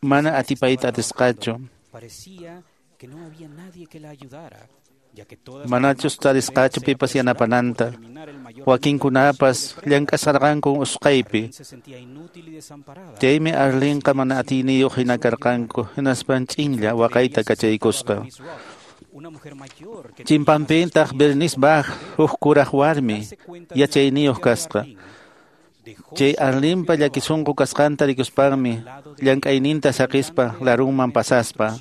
mana atipayta atisqachu. Manachus tarisqachu pipas yanapananta. Wakinkunapas llank'asqarqanku usqhaypi. Chaymi Arlenqa mana atiyniyuq hina karqanku, hinaspan ch'inlla waqayta kachaykusqa. Chimpanpintaq Bernice Bach huk kuraq warmi yachayniyuq kasqa. Chay Arlenpa llakisunqu kasqanta rikuspanmi llank'ayninta saqispa larunman pasaspa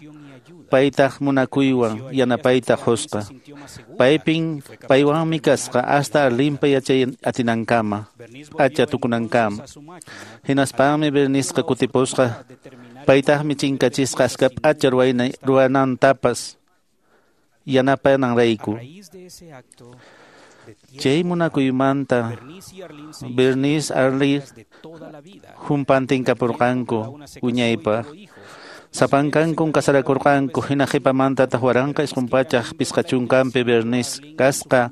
paytaq munakuywan yanapayta qusqa. Paypin paywanmi kasqa hasta Arlenpa yachay atinankama, p'acha tukunankama. Hinaspanmi Berniceqa kutipusqa, paytaqmi chinkachisqa aska p'acha ruwanantapas yanapananrayku. Chay munakuymanta Bernice Arlene humpantinkapurqanku wiñaypaq. Sapankankun kasarakurqanku hina qhipamantataq waranqa isqun pachaq pisqa chunkanpi Bernice kasqa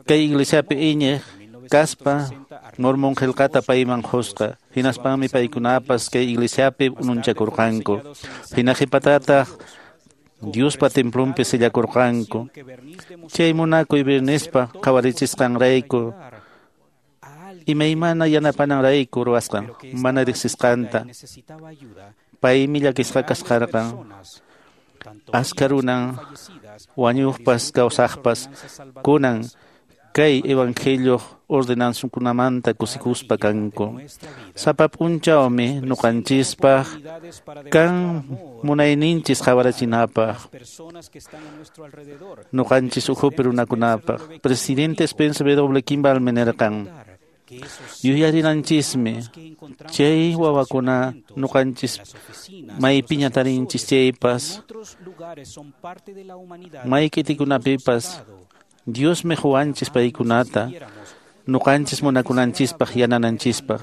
kay iglesiapi iñiq kaspa Mormon qillqata payman qusqa. Hinaspanmi paykunapas kay iglesiapi ununchakurqanku. Hina qhipatataq Diospa templonpi sillakurqanku. Chay munakuy Bernicepa qhawarichisqanrayku imaymana yanapananrayku ruwasqan mana riqsisqanta. Paymi llakisqa kasqarqan. Aska runan wañuqpas kawsaqpas kunan kay evangelioq ordenanzankunamanta kusikuspa kanku. Sapa p'unchawmi ñuqanchispaq kan munayninchis qhawarachinapaq ñuqanchis ukhupi runakunapaq. Presidente Spencer W. Kimball nirqan: Yuyarinanchismi chay wawakuna ñuqanchis maypiña tarinchis chaypas mayk'itikunapipas Diosmi quwanchis paykunata ñuqanchis munakunanchispaq yanananchispaq.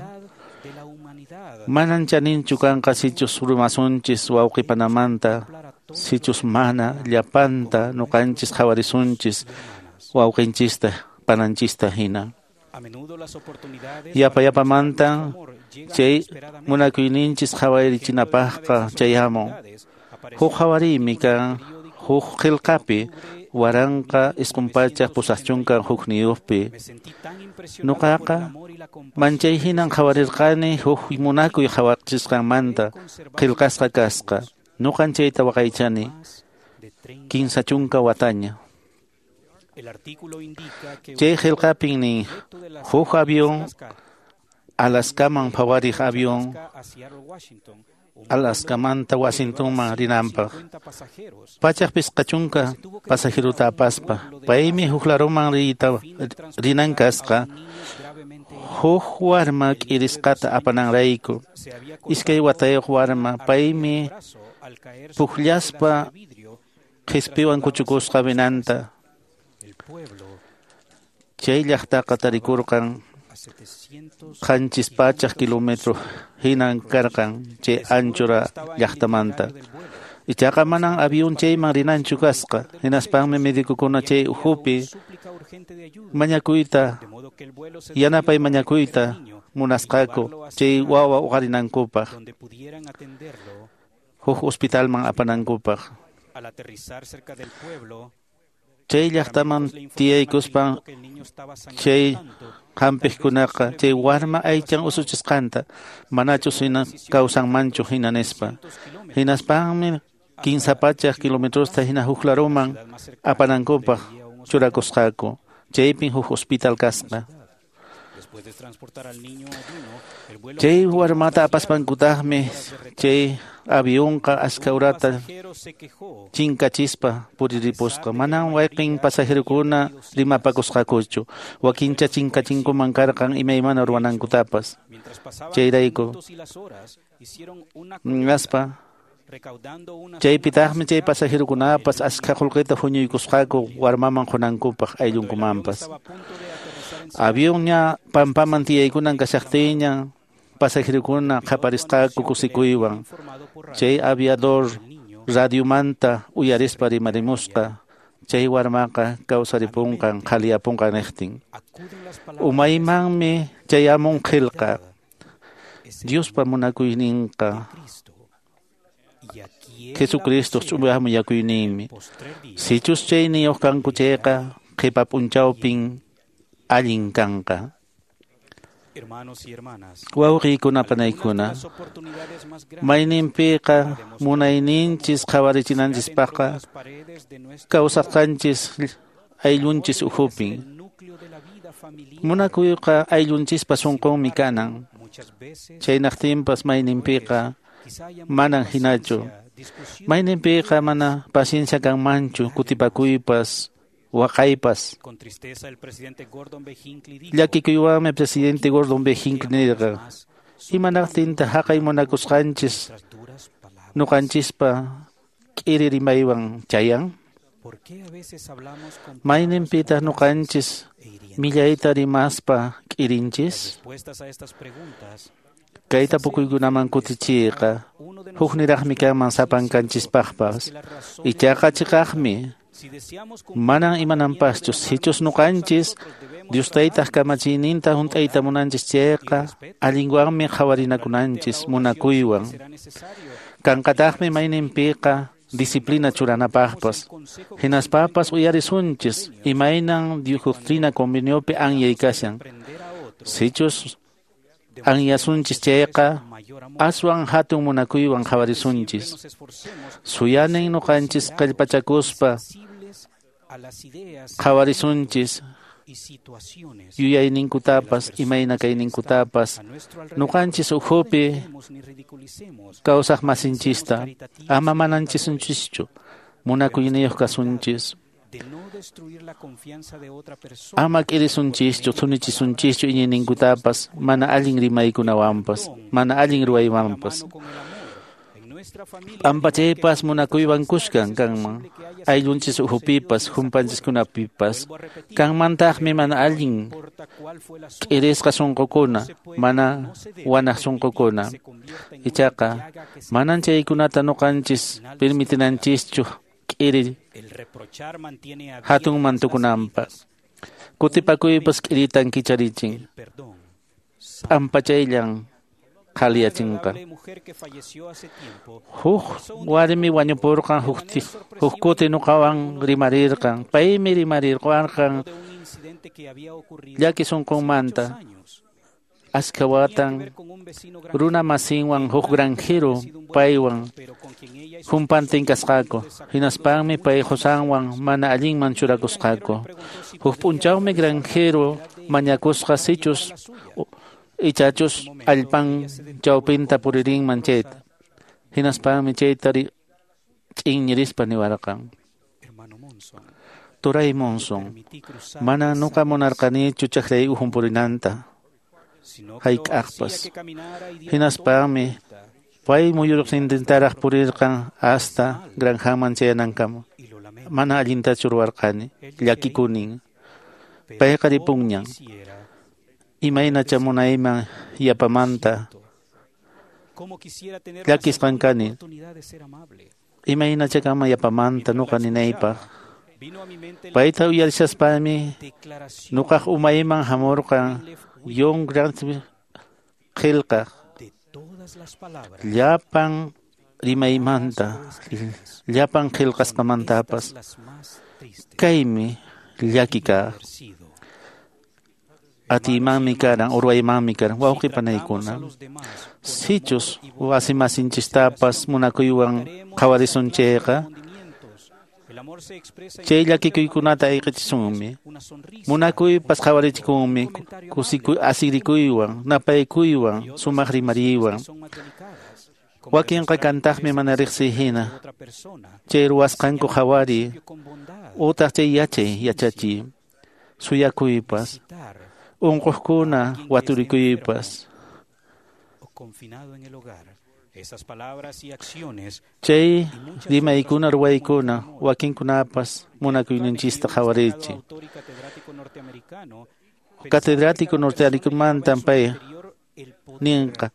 Manan chaninchu kanqa sichus rumasunchis wawqipanamanta, sichus mana llapanta ñuqanchis qhawarisunchis wawqinchista pananchista hina. Yapa yapamantan chay munakuyninchis qhawarichinapaqqa chayamun. Huk qhawariymi kan huk qillqapi waranqa isqun pachaq pusaq chunka hukniyuqpi. Ñuqaqa manchay hinan qhawarirqani huk munakuy qhawachisqanmanta qillqasqa kasqa. Ñuqan chayta waqaychani kinsa chunka wataña. Chay qillqapin nin huk avión Alaskaman phawariq avión Alaskamanta Washingtonman rinanpaq pachaq pisqa chunka pasajeruta apaspa paymi huk laruman riyta rinan kasqa huk warma k'irisqata apananrayku. Iskay watayuq warma paymi pukllaspa qhispiwan kuchukusqa vinanta. Chay llaqtaqa tarikurqan qanchis pachaq kilómetro hinan karqan chay anchura llaqtamanta. Ichaqa manan avión chayman rinanchu kasqa. Hinaspanmi medicokuna chay ukhupi mañakuyta yanapay mañakuyta munasqaku chay wawa uqarinankupaq huk hospitalman apanankupaq. Chay llaqtaman tiyaykuspan chay hampiqkunaqa chay warma aychan usuchisqanta manachus hina kawsanmanchu hina nispa. Hinaspanmi kinsa pachaq kilometrosta hina huk laruman apanankupaq churakusqaku. Chaypin huk hospital kasqa. Chay warmata apaspankutaqmi chay avionqa aska urata chinkachispa puriripusqa. Manan wayqin pasajerukuna rimapakusqakuchu. Wakincha chinkachinkuman karqan imaymana ruwanankutapas. Chayrayku ngaspa chaypitaqmi chay pasajerukunapas askha qullqita huñuykusqaku warmaman qunankupaq ayllunkumanpas. Avionña pampaman tiyaykunan kashaqtiña pasajerokuna qaparisqaku kusikuywan. Chay aviador radiomanta uyarispa rimarimusqa. Chay warmaqa kawsaripunqan qhaliyapunqan niqtin. Umaymanmi chayamun qillqa. Diospa munakuyninqa Jesucristo ch'uya munakuyninmi. Sichus chayniyuq kanku chayqa qhipa p'unchawpin allin kanqa. Wawqiykuna panaykuna, mayninpiqa munayninchis qhawarichinanchispaqqa kawsasqanchis ayllunchis ukhupin. Munakuyqa ayllunchispa sunqunmi kanan. Chaynaqtinpas mayninpiqa manan hinachu. Mayninpiqa mana paciencia kanmanchu kutipakuypas waqaypas. Llakikuywanmi presidente Gordon B. Hinckley nirqa, imanaqtinta haqay munakusqanchis ñuqanchispa k'iri rimaywan chayan? Mayninpitaq ñuqanchis millayta rimaspa k'irinchis? Kay tapukuykunaman kutichiyqa hukniraqmi kanman sapankanchispaqpas. Ichaqa chiqaqmi manan imananpaschu sichus ñuqanchis Dios taytaq kamachiyninta hunt'ayta munanchis chayqa allinwanmi qhawarinakunanchis munakuywan. Kanqataqmi mayninpiqa disciplina churanapaqpas. Hinaspapas uyarisunchis imaynan doctrina conveniopi anyay kashan. Sichus anyasunchis chayqa aswan hatun munakuywan qhawarisunchis. Suyanin ñuqanchis kallpachakuspa qhawarisunchis yuyayninkutapas imayna kayninkutapas ñuqanchis ukhupi kawsaq masinchista ama mananchisunchischu munakuyniyuq kasunchis. Ama k'irisunchischu thunichisunchischu iñiyninkutapas mana allin rimaykunawanpas mana allin ruwaywanpas. P'ampachaypas munakuywan kushkan kanman ayllunchis ukhupipas humpanchiskunapipas. Kanmantaqmi mana allin k'irisqa sunqukuna mana wanaq sunqukuna. Ichaqa manan chaykunata ñuqanchis permitinanchischu k'iri hatun mantukunanpaq. Kutipakuypas k'iritan kicharichin. P'ampachayllan qhaliyachinqa. Huk warmi wañupurqan huk kuti ñuqawan rimarirqan. Paymi rimarirqan llaki sunqunmanta. Askha watan runa masinwan huk granjero paywan humpantin kasqaku. Hinaspanmi pay qusanwan mana allinman churakusqaku. Huk p'unchawmi granjero mañakusqa sichus ichachus allpan chawpinta puririnman chayta. Hinaspanmi chayta ch'inñirispa niwarqan. Turay Monson, mana nuqa munarqanichu chakray uhun purinanta hayk'aqpas. Hinaspanmi pay muyuriqnintintaraq purirqan hasta granjaman chayanankama. Mana allintachu ruwarqani, llakikunin. Payqa ripunñan. Imaynacha munayman yapamanta llakisqan kani. Imaynacha kanman yapamanta nuqa ninaypaq. Payta uyarishaspanmi nuqaq umayman hamurqan John Grant qillqaq llapan rimaymanta llapan qillqasqamantapas. Kaymi llaki kaq. Atiymanmi karan, urwaymanmi karan, wawqi panaykuna. Sichus wasimasinchistapas munakuywan qhawarisun chayqa, chay llakikuykunata ayqichisunmi. Munakuypas qhawarichikunmi kusikuy asirikuywan, napaykuywan, sumaq rimariywan. Wakinqa kantaqmi mana riqsiy hina. Chay ruwasqanku qhawariy, utaq chay yachay yachachiy, suyakuypas, unquqkuna waturikuypas. Chay rimaykuna ruwaykuna wakinkunapas munakuyninchista qhawarichin. Catedrático norteamericamantan pay ninqa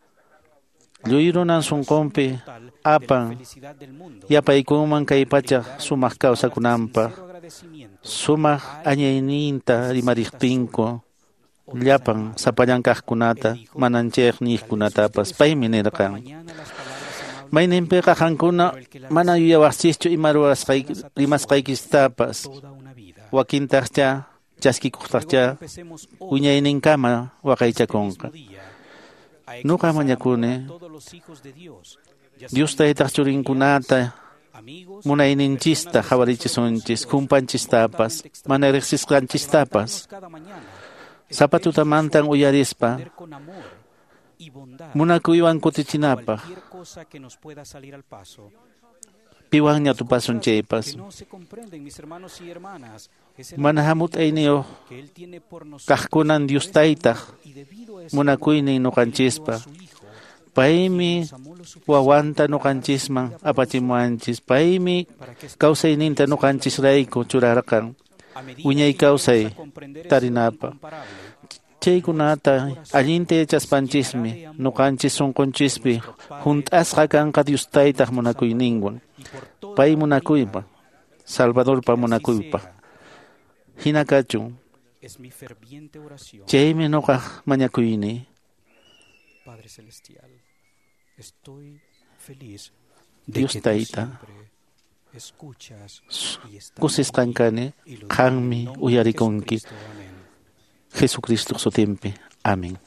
lluy runan sunqunpi apan yapaykunman kay pacha sumaq kawsakunanpaq sumaq añayninta rimariqtinku llapan sapallan kaqkunata mananchayq niqkunatapas paymi nirqan mayninpiqa qankuna mana yuyawaqchischu ima ruwasqayki rimasqaykistapas wakintaqcha chaskikuqtaqcha wiñayninkama waqaychakunqa. Nuqa mañakuni Dios taytaq churinkunata munayninchista qhawarichisunchis kumpanchistapas mana riqsisqanchistapas sapa tutamantan uyarispa munakuywan kutichinapaq piwanña tupasun chaypas mana hamut'ayniyuq kaqkunan Dios taytaq munakuynin nuqanchispa paymi wawanta nuqanchisman apachimuwanchis paymi kawsayninta nuqanchisrayku churarqan wiñay kawsay tarinapaq chaykunata allinta yachaspanchismi nuqanchis sunqunchispi hunt'asqa kanqa Dios taytaq munakuyninwan pay munakuypa Salvadorpa munakuypa hina kachun chaymi nuqaq mañakuyni. Dios tayta kusisqan kani qanmi uyarikunki Jesucristo sutinpi. Amén.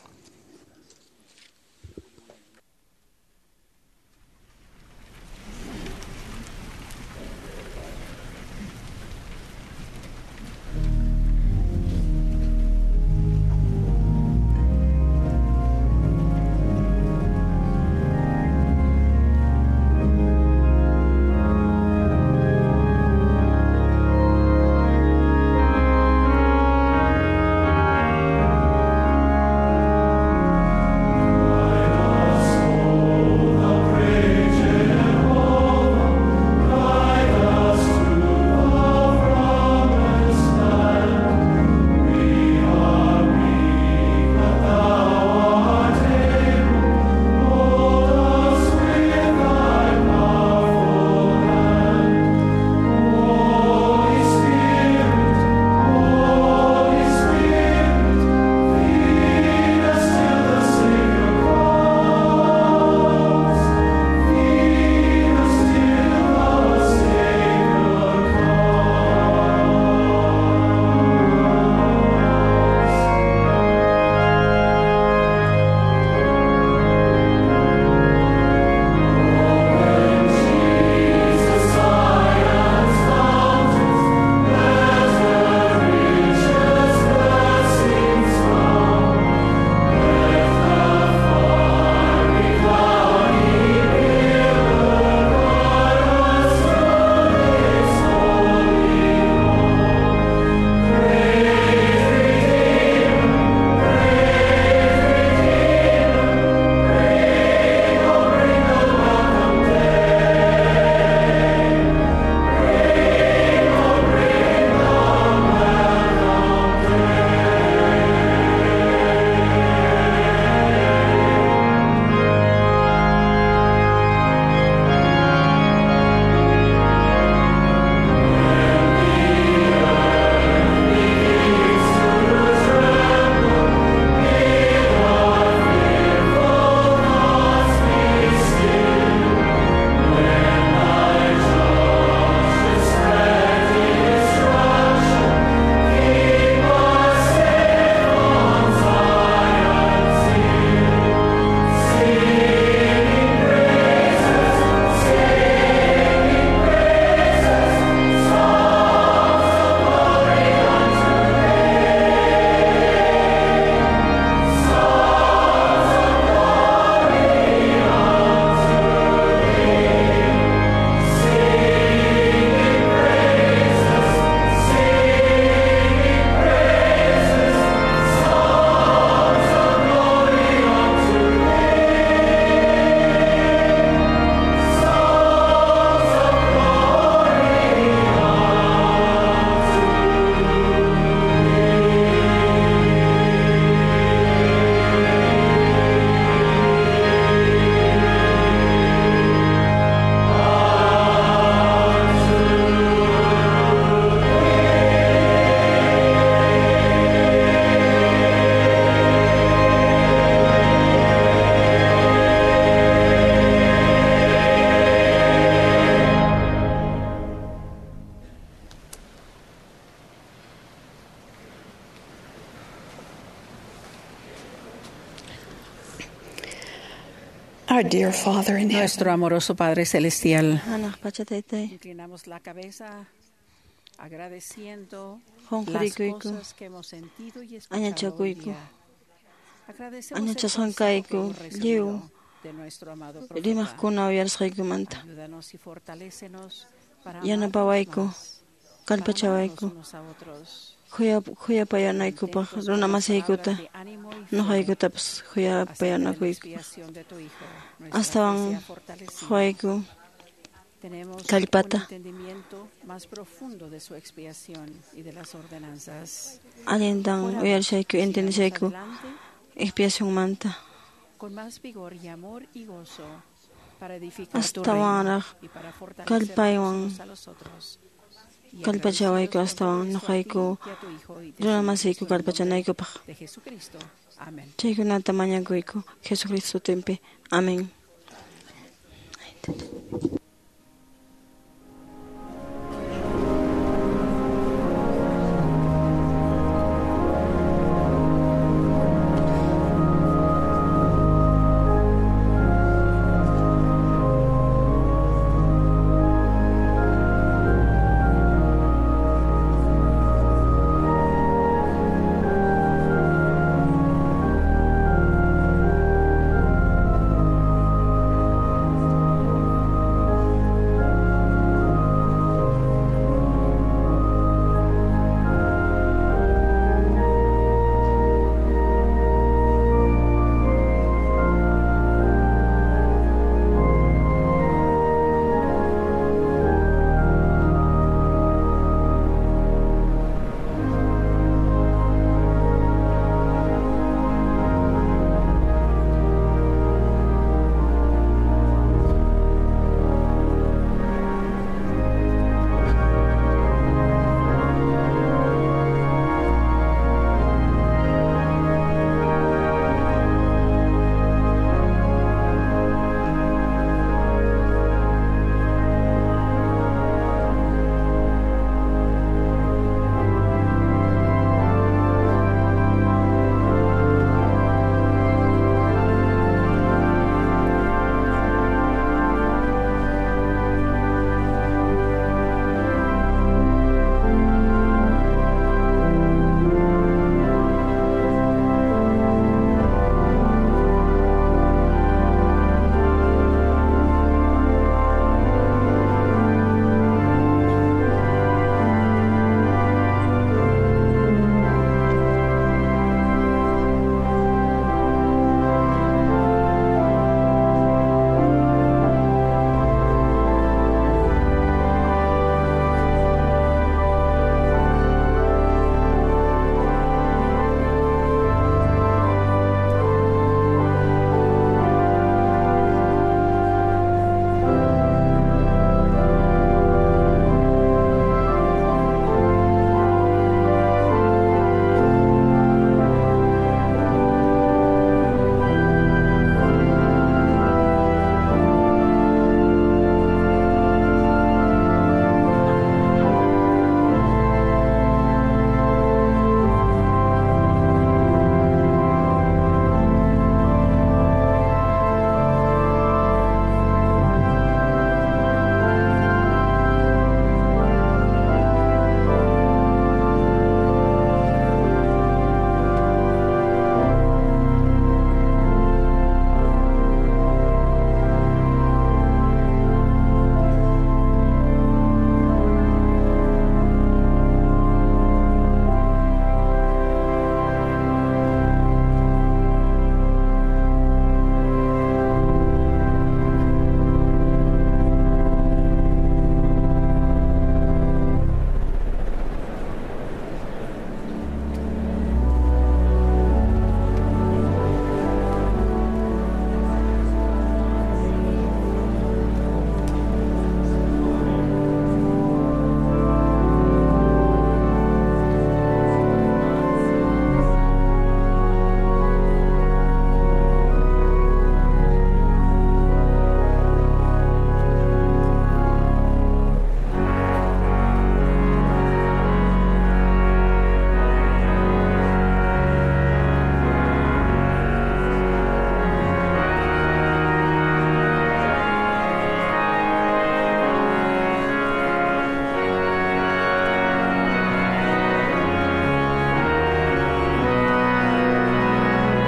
Our dear Father in heaven, Nuestro amoroso Padre Celestial, Hanaq pacha taytay. inclinamos la cabeza agradeciendo las Qunqurikuyku. cosas que hemos sentido y escuchado hoy Añachakuyku. día. Agradecemos el Añachasqankayku consejo que hemos lliw recibido de nuestro amado profeta. rimaqkuna uyarisqaykumanta. Ayúdanos y fortalécenos para amarnos Yanapawayku, más, para kallpachawayku. amarnos unos a otros. Khuyapayanaykupaq runa masiykuta nuqaykutapas Hasta que la khuyapayanakuykupaq. expiación de tu Hijo, nuestra fe Astawan sea fortalecida. quwayku Tenemos un kallpata. entendimiento más profundo de su expiación y de las ordenanzas. Allintan Oramos, uyarishayku sigamos entendishayku adelante expiacionmanta. con más vigor y amor y gozo para edificar tu reino Astawanraq y para fortalecernos kallpaywan unos a los otros. Y kallpachawayku agradecidos con todo astawan esto a ti nuqayku y a tu Hijo y runa te masiyku en el nombre kallpachanaykupaq. de Jesucristo. Amén. Chaykunata mañakuyku Jesucristo sutinpi. Amén. Amén.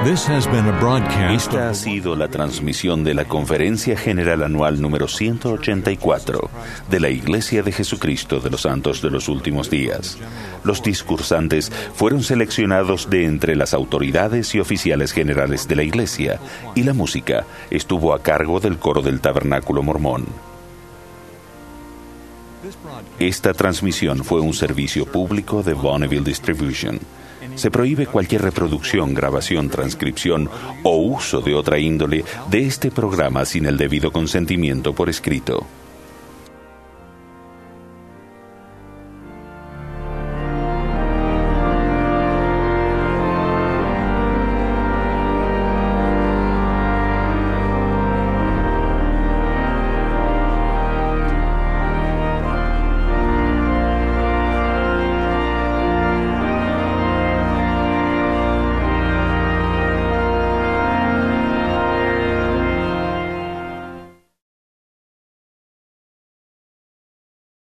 Esta ha sido la transmisión de la Conferencia General Anual número ciento ochenta y cuatro de la Iglesia de Jesucristo de los Santos de los Últimos Días. Los discursantes fueron seleccionados de entre las autoridades y oficiales generales de la Iglesia, y la música estuvo a cargo del coro del Tabernáculo Mormón. Esta transmisión fue un servicio público de Bonneville Distribution. Se prohíbe cualquier reproducción, grabación, transcripción o uso de otra índole de este programa sin el debido consentimiento por escrito.